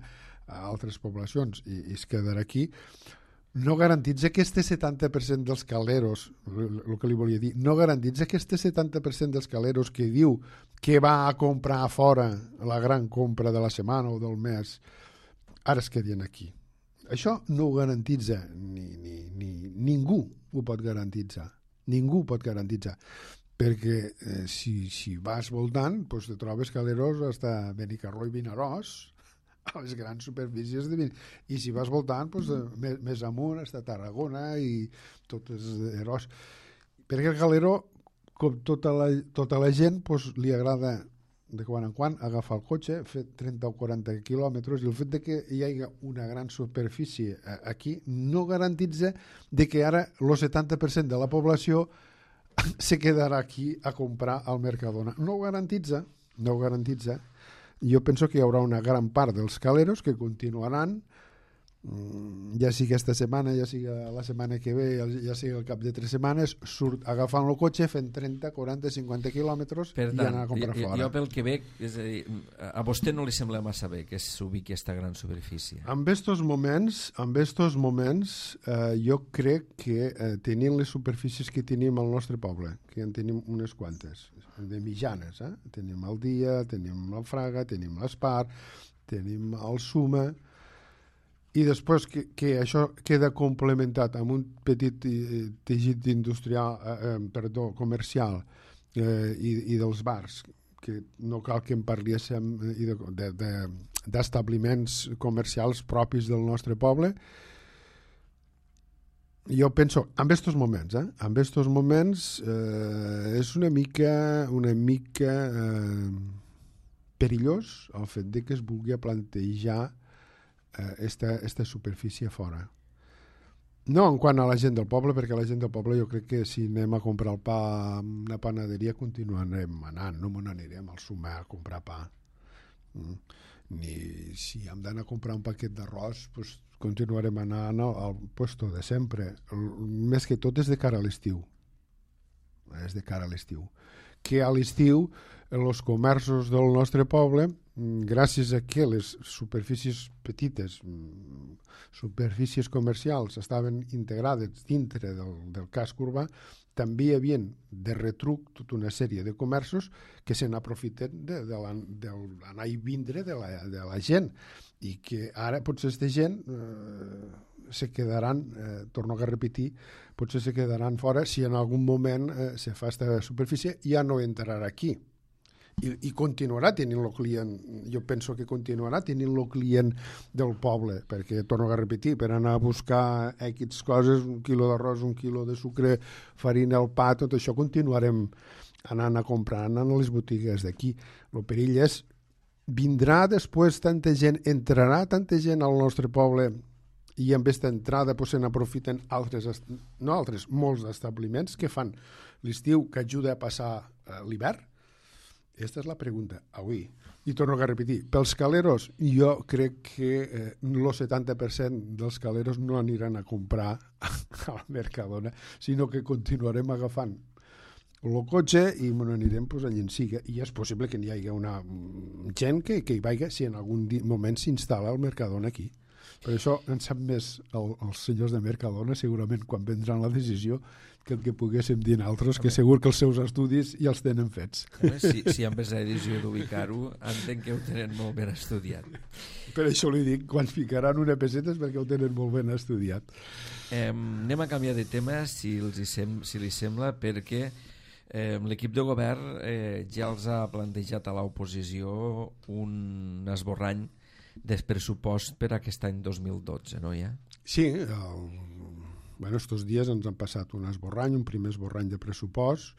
[SPEAKER 2] a altres poblacions i, i es quedarà aquí. No garantitza que este setanta per cent dels caleros, el que li volia dir, no garantitza que este setanta per cent dels caleros que diu que va a comprar a fora la gran compra de la setmana o del mes, ara es quedin aquí. Això no ho garantitza, ni, ni, ni, ningú ho pot garantitzar. Ningú ho pot garantitzar. Perquè eh, si, si vas voltant, doncs te trobes caleros fins a Benicarló i Vinaròs, a les grans superfícies de vin. I si vas voltant, doncs, més, més amunt, fins a Tarragona i totes Eros. Perquè el galero, com tota la, tota la gent, doncs, li agrada de quan en quan agafar el cotxe, fer trenta o quaranta quilòmetres, i el fet de que hi hagi una gran superfície aquí no garantitza de que ara el setanta per cent de la població se quedarà aquí a comprar al Mercadona. No ho garantitza, no ho garantitza. Jo penso que hi haurà una gran part dels caleros que continuaran, ja sigui aquesta setmana, ja sigui la setmana que ve, ja sigui al cap de tres setmanes, surt agafant el cotxe, fent trenta, quaranta, cinquanta quilòmetres i anar a comprar
[SPEAKER 1] jo,
[SPEAKER 2] fora.
[SPEAKER 1] Jo pel que veig, és a dir, a vostè no li sembla massa bé que s'ubiqui aquesta gran superfície?
[SPEAKER 2] En estos moments, en estos moments eh, jo crec que eh, tenint les superfícies que tenim al nostre poble, que en tenim unes quantes, de mitjanes, eh? Tenim el Dia, tenim la Fraga, tenim l'Espar, tenim el Suma, i després que, que això queda complementat amb un petit eh, teixit industrial, eh, perdó, comercial eh, i, i dels bars, que no cal que en parléssim d'establiments comercials propis del nostre poble. Jo penso, en estos moments, eh, en estos moments eh, és una mica, una mica eh, perillós el fet de que es vulgui plantejar Esta, esta superfície fora. No en quant a la gent del poble, perquè la gent del poble jo crec que si anem a comprar el pa a una panaderia continuarem anant, no me n'anirem al Sumar a comprar pa. Mm. Ni si hem d'anar a comprar un paquet d'arròs, pues continuarem anant al, al puesto de sempre. El, més que tot és de cara a l'estiu. És de cara a l'estiu. Que a l'estiu els comerços del nostre poble, gràcies a que les superfícies petites, superfícies comercials estaven integrades dintre del, del casc urbà, també hi havia de retruc tota una sèrie de comerços que se n'aprofiten de, de l'anar i vindre de la, de la gent i que ara potser aquesta gent eh, se quedaran, eh, torno a repetir, potser se quedaran fora si en algun moment eh, se fa aquesta superfície, ja no entrarà aquí. I, i continuarà tenint el client, jo penso que continuarà tenint el client del poble, perquè, torno a repetir, per anar a buscar X coses, un quilo d'arròs, un quilo de sucre, farina, el pa, tot això continuarem anant a comprar, anant a les botigues d'aquí. El perill és, vindrà després tanta gent, entrarà tanta gent al nostre poble i amb aquesta entrada pues, se n'aprofiten altres, no altres, molts establiments que fan l'estiu que ajuda a passar eh, l'hivern. Aquesta és la pregunta avui. I torno a repetir, pels caleros jo crec que eh, el setanta per cent dels caleros no aniran a comprar al Mercadona, sinó que continuarem agafant el cotxe i me n'anirem pues, a Llenciga. I és possible que n'hi hagi una gent que, que hi vagi si en algun moment s'instal·la el Mercadona aquí. Per això en sap més el, els senyors de Mercadona, segurament quan vendran la decisió, que el que poguéssim dir altres, que segur que els seus estudis ja els tenen fets.
[SPEAKER 1] Home, si, si amb aquesta decisió d'ubicar-ho, entenc que ho tenen molt ben estudiat.
[SPEAKER 2] Per això li dic, quan ficaran una peseta és perquè ho tenen molt ben estudiat.
[SPEAKER 1] Eh, anem a canviar de tema, si, els hi sem si li sembla, perquè eh, l'equip de govern eh, ja els ha plantejat a l'oposició un esborrany del pressupost per aquest any dos mil dotze, no hi ha?
[SPEAKER 2] Sí, el... bueno, estos dies ens han passat un esborrany, un primer esborrany de pressupost.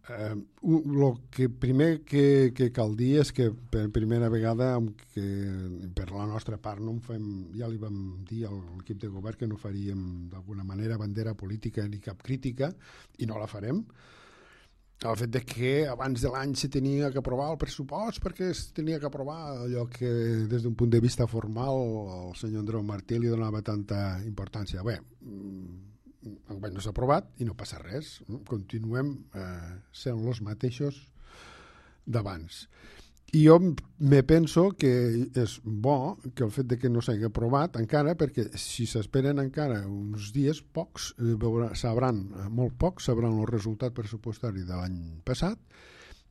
[SPEAKER 2] Eh, el que primer que, que cal dir és que per primera vegada, que per la nostra part no en fem, ja li vam dir a l'equip de govern que no faríem d'alguna manera bandera política ni cap crítica, i no la farem. El fet de que abans de l'any se tenia que aprovar el pressupost perquè es tenia que aprovar allò que des d'un punt de vista formal el senyor Andreu Martí li donava tanta importància. Bé, enguany no s'ha aprovat i no passa res. Continuem eh, sent els mateixos d'abans. I jo me penso que és bo que el fet de que no s'hagi aprovat encara, perquè si s'esperen encara uns dies, pocs, veurà, sabran, molt pocs, sabran el resultat pressupostari de l'any passat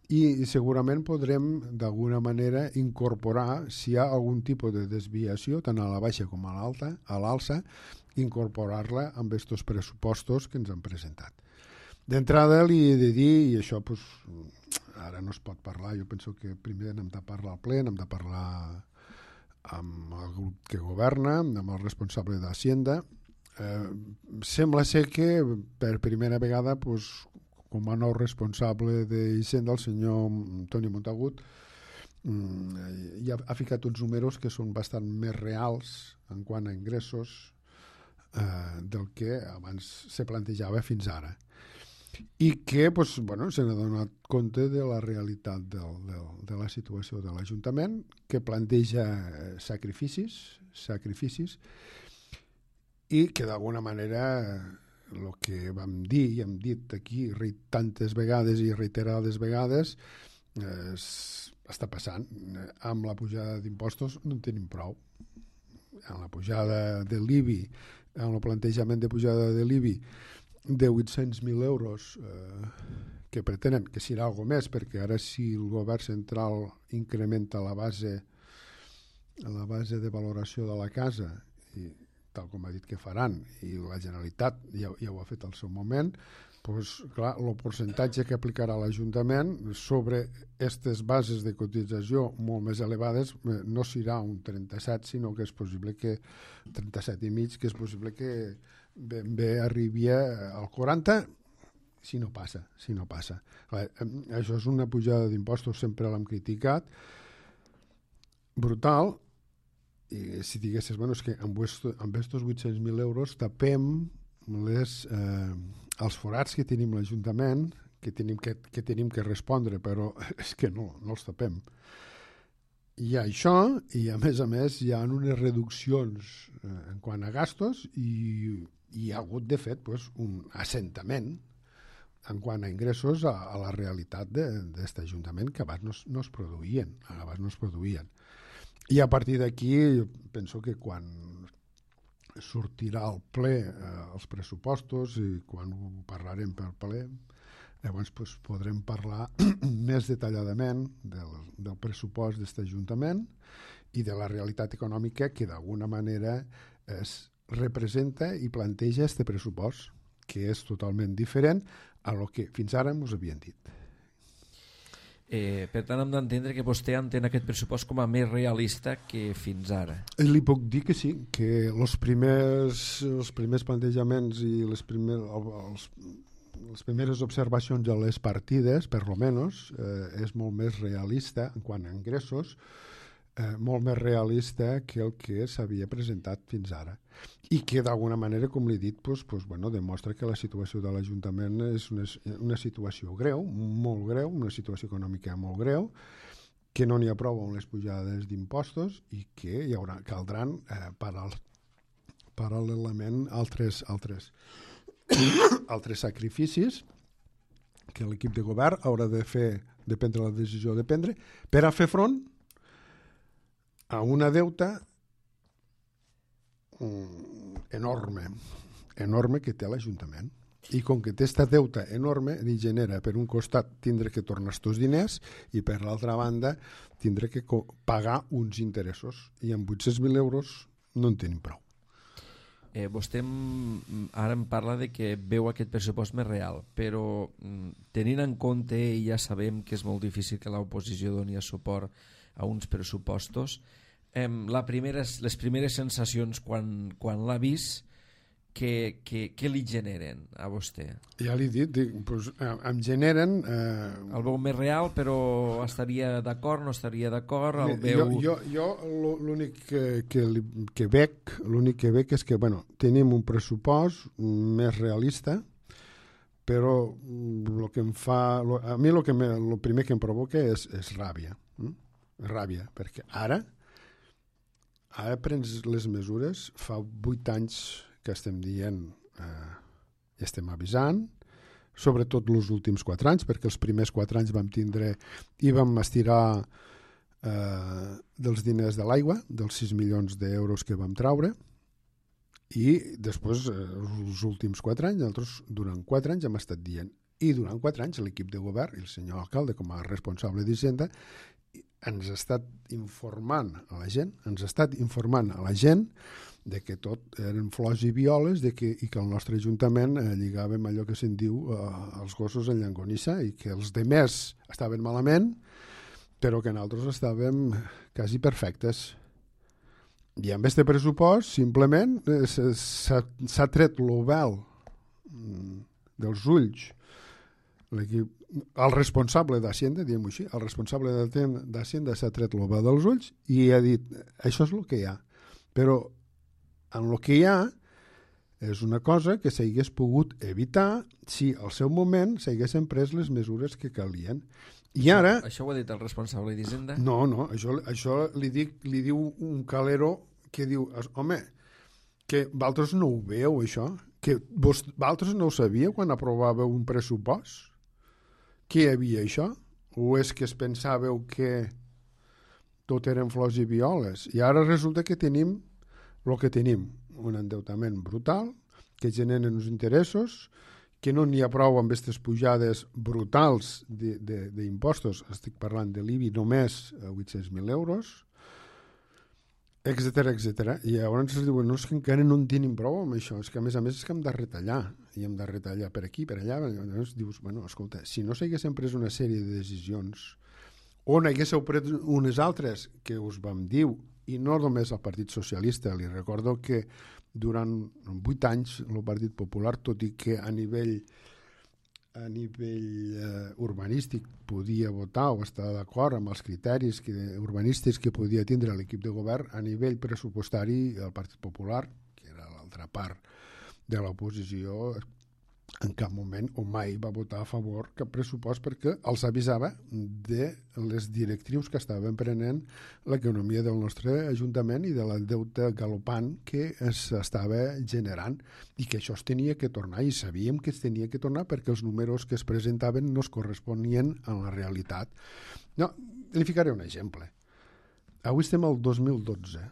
[SPEAKER 2] i segurament podrem d'alguna manera incorporar, si hi ha algun tipus de desviació, tant a la baixa com a l'alta, a l'alça, incorporar-la amb aquests pressupostos que ens han presentat. D'entrada li he de dir, i això pues, ara no es pot parlar, jo penso que primer hem de parlar al ple, hem de parlar amb el grup que governa, amb el responsable d'Hacienda. Eh, sembla ser que per primera vegada, pues, com a nou responsable d'Hisenda, el senyor Toni Montagut, ja ha ficat uns números que són bastant més reals en quant a ingressos eh, del que abans se plantejava fins ara. I que pues, bueno, se n'ha donat compte de la realitat del, del, de la situació de l'Ajuntament, que planteja sacrificis, sacrificis i que d'alguna manera el que vam dir i hem dit aquí tantes vegades i reiterades vegades eh, està passant. Amb la pujada d'impostos no en tenim prou. Amb la pujada de l'I B I, amb el plantejament de pujada de l'I B I de vuit-cents mil euros eh, que pretenen, que serà algo més, perquè ara si el govern central incrementa la base la base de valoració de la casa, i tal com ha dit que faran, i la Generalitat ja, ja ho ha fet al seu moment, doncs, clar, el percentatge que aplicarà l'Ajuntament sobre aquestes bases de cotització molt més elevades no serà un trenta-set, sinó que és possible que trenta-set i mig, que és possible que ben bé arribi al quaranta, si no passa, si no passa. Clar, això és una pujada d'impostos, sempre l'hem criticat, brutal, i si diguessis, bueno, és que amb aquests vuit-cents mil euros tapem les, eh, els forats que tenim l'Ajuntament, que tenim que, que tenim que respondre, però és que no, no els tapem. Hi ha això, i a més a més hi ha unes reduccions eh, en quant a gastos i hi ha hagut, de fet, pues, un assentament en quant a ingressos a, a la realitat d'aquest Ajuntament que abans no, no es produïen, abans no es produïen. I a partir d'aquí penso que quan sortirà al ple eh, els pressupostos i quan ho parlarem per ple, llavors pues, podrem parlar més detalladament del, del pressupost d'aquest Ajuntament i de la realitat econòmica que d'alguna manera es representa i planteja aquest pressupost, que és totalment diferent a lo que fins ara ens havien dit.
[SPEAKER 1] Eh, per tant, hem d'entendre que vostè entén aquest pressupost com a més realista que fins ara.
[SPEAKER 2] Li puc dir que sí, que els primers, els primers plantejaments i les, primer, els, les primeres observacions de les partides, per lo menos, eh, és molt més realista en quant a ingressos, eh, molt més realista que el que s'havia presentat fins ara. I que d'alguna manera, com l'he dit, pues, pues, bueno, demostra que la situació de l'Ajuntament és una, una situació greu, molt greu, una situació econòmica molt greu, que no n'hi ha prou amb les pujades d'impostos i que hi haurà, caldran eh, paral, paral·lelament altres, altres, altres sacrificis que l'equip de govern haurà de fer, de prendre la decisió de prendre, per a fer front a una deuta enorme, enorme que té l'Ajuntament. I com que té esta deuta enorme, li genera per un costat tindre que tornar estos diners i per l'altra banda tindre que pagar uns interessos. I amb vuit-cents mil euros no en tenim prou.
[SPEAKER 1] Eh, vostè ara em parla de que veu aquest pressupost més real, però tenint en compte, i ja sabem que és molt difícil que l'oposició doni suport a uns pressupostos, eh, la primera, les primeres sensacions quan, quan l'ha vist, què, què, què li generen a vostè?
[SPEAKER 2] Ja l'he dit, dic, doncs, em generen... Eh...
[SPEAKER 1] El veu més real, però estaria d'acord, no estaria d'acord? El veu...
[SPEAKER 2] Jo, jo, jo l'únic que, que, que veig, l'únic que veig és que, bueno, tenim un pressupost més realista, però el que em fa... Lo, a mi el que me, lo primer que em provoca és, és ràbia. Hm? Ràbia, perquè ara, ara prens les mesures, fa vuit anys que estem dient, eh, estem avisant, sobretot els últims quatre anys, perquè els primers quatre anys vam tindre i vam estirar eh, dels diners de l'aigua, dels sis milions d'euros que vam traure, i després, eh, els últims quatre anys, nosaltres durant quatre anys hem estat dient, i durant quatre anys l'equip de govern i el senyor alcalde com a responsable d'Hisenda ens ha estat informant a la gent, ens ha estat informant a la gent de que tot eren flors i violes de que, i que el nostre Ajuntament eh, lligàvem allò que se'n diu eh, els gossos en llangonissa i que els demés estaven malament però que nosaltres estàvem quasi perfectes. I amb aquest pressupost simplement eh, s'ha tret l'ovel dels ulls l'equip, el responsable d'Hacienda, diguem-ho així, el responsable d'Hacienda s'ha tret l'ovel dels ulls i ha dit, això és el que hi ha, però en el que hi ha és una cosa que s'hagués pogut evitar si al seu moment s'haguessin pres les mesures que calien. I ara...
[SPEAKER 1] Això ho ha dit el responsable d'Hisenda?
[SPEAKER 2] No, no, això, això li, dic, li diu un calero que diu, home, que vosaltres no ho veieu, això? Que vos, vosaltres no ho sabíeu quan aprovàveu un pressupost? Que hi havia això? O és que es pensàveu que tot eren flors i violes? I ara resulta que tenim el que tenim, un endeutament brutal, que generen uns interessos, que no n'hi ha prou amb aquestes pujades brutals d'impostos, estic parlant de l'I B I només a vuit-cents mil euros, etcètera, etcètera. I llavors ens diuen, no, és que encara no en tenim prou amb això, és que a més a més és que hem de retallar, i hem de retallar per aquí, per allà. Llavors dius, bueno, escolta, si no s'haguessin pres una sèrie de decisions, o n'haguéssiu pres unes altres que us vam dir, i no només el Partit Socialista, li recordo que durant vuit anys el Partit Popular, tot i que a nivell a nivell eh, urbanístic podia votar o estar d'acord amb els criteris que, urbanístics que podia tindre l'equip de govern, a nivell pressupostari el Partit Popular, que era l'altra part de l'oposició, en cap moment o mai va votar a favor cap pressupost perquè els avisava de les directrius que estaven prenent l'economia del nostre Ajuntament i de la deute galopant que s'estava generant i que això es tenia que tornar i sabíem que es tenia que tornar perquè els números que es presentaven no es corresponien a la realitat. No, li ficaré un exemple. Avui estem al dos mil dotze.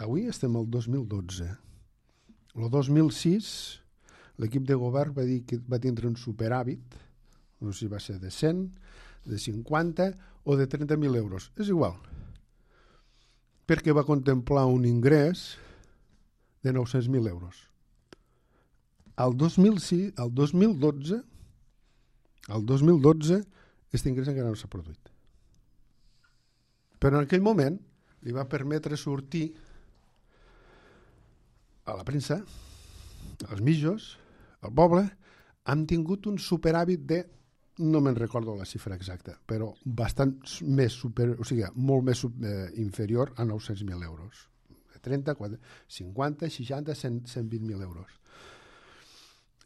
[SPEAKER 2] Avui estem al dos mil dotze. El dos mil sis l'equip de govern va dir que va tindre un superàvit, no sé si va ser de cent, de cinquanta o de trenta mil euros. És igual. Perquè va contemplar un ingrés de nou-cents mil euros. Al dos mil sis, al dos mil dotze, al dos mil dotze, aquest ingrés encara no s'ha produït. Però en aquell moment li va permetre sortir a la premsa, als mitjos, al poble, han tingut un superàvit de, no me'n recordo la xifra exacta, però bastant més super, o sigui, molt més eh, inferior a nou-cents mil euros. trenta, cinquanta, seixanta, cent, cent vint mil euros.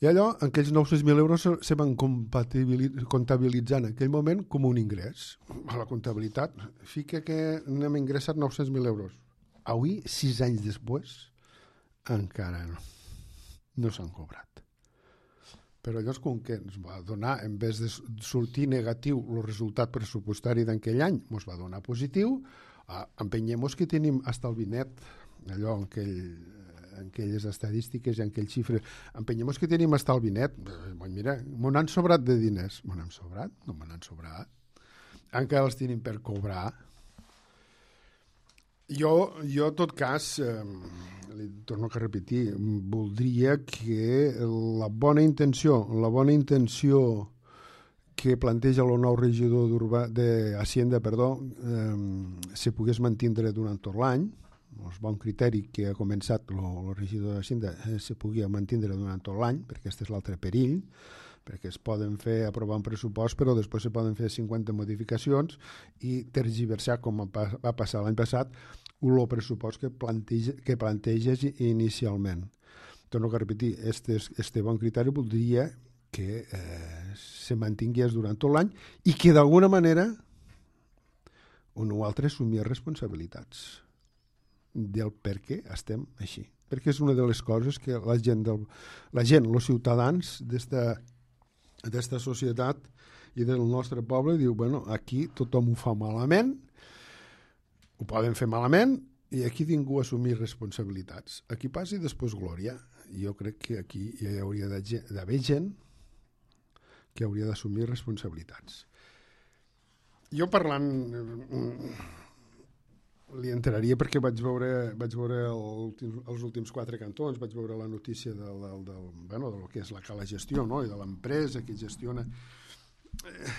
[SPEAKER 2] I allò, aquells nou-cents mil euros se van comptabilitzar en aquell moment com un ingrés. A la comptabilitat fica que n'hem ingressat nou-cents mil euros. Avui, sis anys després, encara no, no s'han cobrat. però llavors com que ens va donar, en vez de sortir negatiu el resultat pressupostari d'aquell any, ens va donar positiu, ah, empenyem-nos que tenim estalvi net, allò en, aquell, en aquelles estadístiques i en aquell xifre, empenyem-nos que tenim estalvi net, mira, m'ho han sobrat de diners, m'ho han sobrat? No m'ho han sobrat, encara els tenim per cobrar. Jo, jo en tot cas, eh, li torno a repetir, voldria que la bona intenció, la bona intenció que planteja el nou regidor d'Hacienda, perdó, eh, se pogués mantindre durant tot l'any, el bon criteri que ha començat el regidor d'Hacienda eh, se pugui mantindre durant tot l'any, perquè aquest és l'altre perill, perquè es poden fer aprovar un pressupost, però després se poden fer cinquanta modificacions i tergiversar, com va passar l'any passat, el pressupost que, planteja, que planteges inicialment. Torno a repetir, este, este bon criteri voldria que eh, se mantingués durant tot l'any i que d'alguna manera un o altre assumia responsabilitats del per què estem així. Perquè és una de les coses que la gent, del, la gent els ciutadans d'esta d'aquesta societat i del nostre poble diu, bueno, aquí tothom ho fa malament, ho poden fer malament i aquí ningú assumir responsabilitats. Aquí passi després glòria. Jo crec que aquí hi hauria d'haver gent que hauria d'assumir responsabilitats. Jo parlant li entraria perquè vaig veure, vaig veure el, els últims quatre cantons, vaig veure la notícia del, del, del, bueno, del que és la cala gestió, no? I de l'empresa que gestiona. Eh,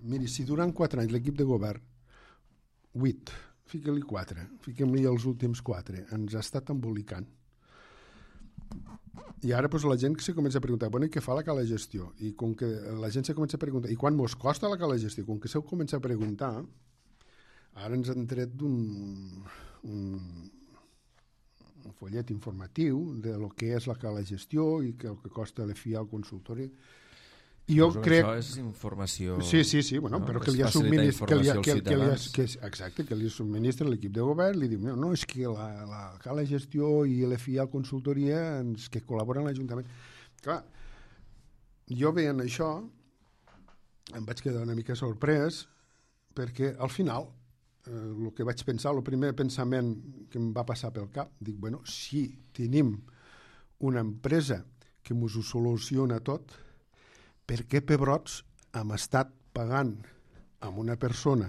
[SPEAKER 2] miri, si durant quatre anys l'equip de govern, vuit, fica-li quatre, fiquem-li els últims quatre, ens ha estat embolicant. I ara doncs, la gent se comença a preguntar, bueno, i què fa la cala gestió? I com que la gent se comença a preguntar, i quan mos costa la cala gestió? Com que se comença a preguntar, ara ens han tret d'un un, un follet informatiu de lo que és la cala gestió i que el que costa l'E F I A al consultori. I jo
[SPEAKER 1] Suposo
[SPEAKER 2] crec...
[SPEAKER 1] que això és informació...
[SPEAKER 2] Sí, sí, sí, bueno,
[SPEAKER 1] no?
[SPEAKER 2] però
[SPEAKER 1] És
[SPEAKER 2] que li ha
[SPEAKER 1] facilitar
[SPEAKER 2] subministrat... Que li ha,
[SPEAKER 1] informació
[SPEAKER 2] que,
[SPEAKER 1] als
[SPEAKER 2] que li ha,
[SPEAKER 1] ciutadans.
[SPEAKER 2] que, exacte, que li subministra l'equip de govern, li diu, no, no, és que la, la cala gestió i l'E F I A consultoria ens, que col·laboren a l'Ajuntament. Clar, jo veient això em vaig quedar una mica sorprès perquè al final eh, el que vaig pensar, el primer pensament que em va passar pel cap, dic, bueno, si tenim una empresa que ens ho soluciona tot, per què pebrots hem estat pagant a una persona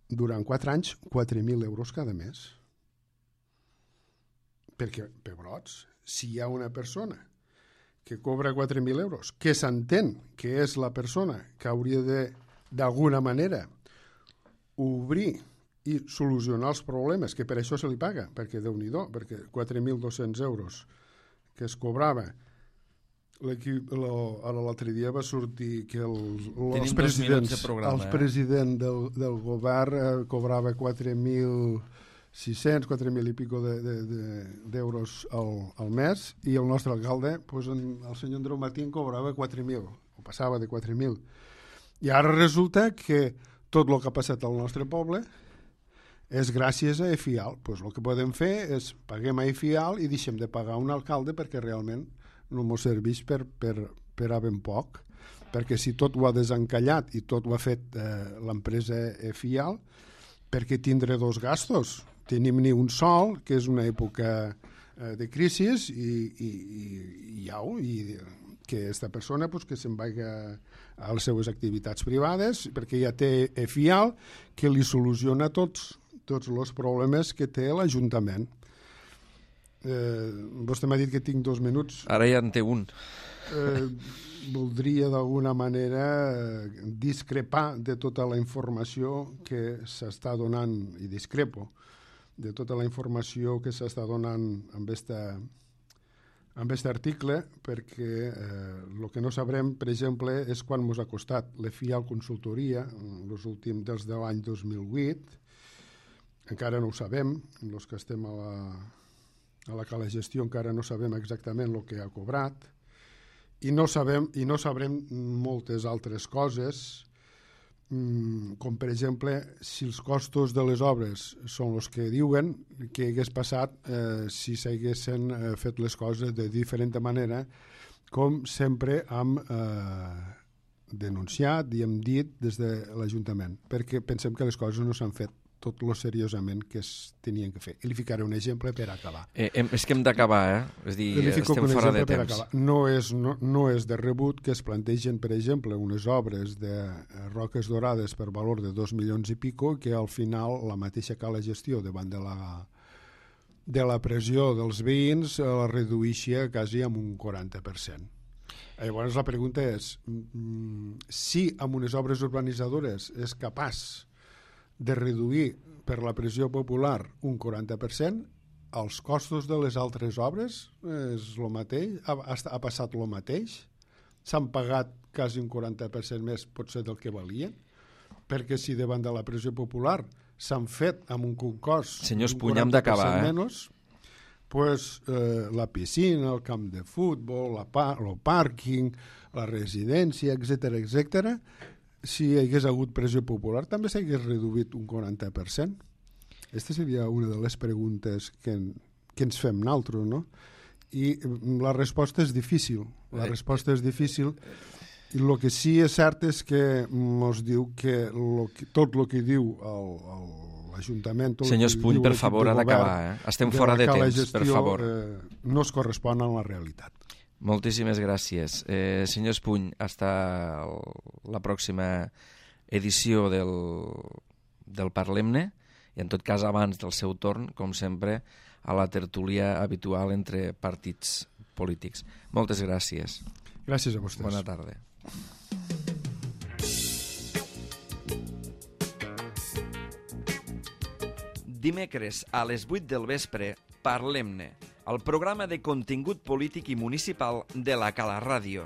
[SPEAKER 2] durant quatre anys quatre mil euros cada mes? Perquè, pebrots, si hi ha una persona que cobra quatre mil euros, que s'entén que és la persona que hauria de, d'alguna manera, obrir i solucionar els problemes, que per això se li paga, perquè Déu-n'hi-do, perquè quatre mil dos-cents euros que es cobrava. L'equip, lo, ara l'altre dia va sortir que el, els presidents,
[SPEAKER 1] de programa,
[SPEAKER 2] el president del, del govern eh, cobrava quatre mil sis-cents, quatre mil i pico de, de, de, d'euros al, al mes, i el nostre alcalde, pues, en, el senyor Andreu Matín, cobrava quatre mil, o passava de quatre mil. I ara resulta que tot el que ha passat al nostre poble és gràcies a E F I A L. Pues el que podem fer és paguem a E F I A L i deixem de pagar un alcalde perquè realment no ens serveix per, per, per a ben poc, perquè si tot ho ha desencallat i tot ho ha fet eh, l'empresa E F I A L, per què tindre dos gastos? Tenim ni un sol, que és una època eh, de crisi, i, i, i, i au, i que aquesta persona pues, que se'n vagi a les seves activitats privades, perquè ja té E F I A L, que li soluciona tots, tots els problemes que té l'Ajuntament. Eh, vostè m'ha dit que tinc dos minuts.
[SPEAKER 1] Ara ja en té un.
[SPEAKER 2] Eh, voldria d'alguna manera discrepar de tota la informació que s'està donant, i discrepo, de tota la informació que s'està donant amb esta, amb este article, perquè el eh, que no sabrem, per exemple, és quan ens ha costat l'E F I A L consultoria, els últims dels de l'any dos mil vuit, encara no ho sabem, els que estem a la a la cala gestió encara no sabem exactament el que ha cobrat i no sabem i no sabrem moltes altres coses, com per exemple si els costos de les obres són els que diuen, que hagués passat eh, si s'haguessin eh, fet les coses de diferent manera com sempre hem eh, denunciat i hem dit des de l'Ajuntament, perquè pensem que les coses no s'han fet tot lo seriosament que es tenien que fer. I li ficaré un exemple per acabar.
[SPEAKER 1] Eh, hem, és que hem d'acabar, eh? És dir, estem fora de temps.
[SPEAKER 2] No és, no, no és de rebut que es plantegen, per exemple, unes obres de roques dorades per valor de dos milions i pico, que al final la mateixa cala gestió davant de la, de la pressió dels veïns la reduïxia quasi amb un quaranta per cent. Llavors la pregunta és, si amb unes obres urbanitzadores és capaç de reduir per la pressió popular un quaranta per cent, els costos de les altres obres és el mateix, ha, ha passat el mateix, s'han pagat quasi un quaranta per cent més potser del que valien, perquè si davant de la pressió popular s'han fet amb un cost
[SPEAKER 1] Senyor Espuny, hem d'acabar, eh?
[SPEAKER 2] menys, pues, eh, la piscina, el camp de futbol, la pa el pàrquing, la residència, etcètera, etcètera, si hi hagués hagut pressió popular també s'hagués reduït un quaranta per cent. Aquesta seria una de les preguntes que, que ens fem nosaltres, no? I la resposta és difícil. La resposta és difícil i el que sí és cert és que ens diu que, lo que tot el que diu el, el, l'Ajuntament...
[SPEAKER 1] Senyor Espuny, per favor, ha d'acabar. Eh? Estem fora de temps,
[SPEAKER 2] gestió,
[SPEAKER 1] per favor.
[SPEAKER 2] Eh, no es correspon a la realitat.
[SPEAKER 1] Moltíssimes gràcies. Eh, senyor Espuny, hasta la pròxima edició del, del Parlem-ne i en tot cas abans del seu torn, com sempre, a la tertúlia habitual entre partits polítics. Moltes gràcies.
[SPEAKER 2] Gràcies a vostès.
[SPEAKER 1] Bona tarda. Dimecres a les vuit del vespre, Parlem-ne, el programa de contingut polític i municipal de la Cala Ràdio.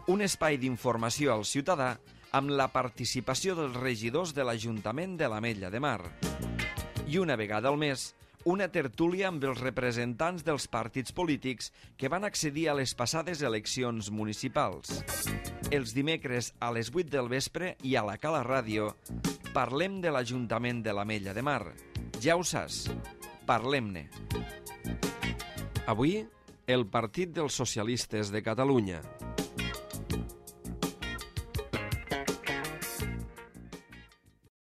[SPEAKER 1] Un espai d'informació al ciutadà amb la participació dels regidors de l'Ajuntament de l'Ametlla de Mar. I una vegada al mes, una tertúlia amb els representants dels partits polítics que van accedir a les passades eleccions municipals. Els dimecres a les vuit del vespre i a la Cala Ràdio parlem de l'Ajuntament de l'Ametlla de Mar. Ja ho saps, parlem-ne. Avui, el Partit dels Socialistes de Catalunya.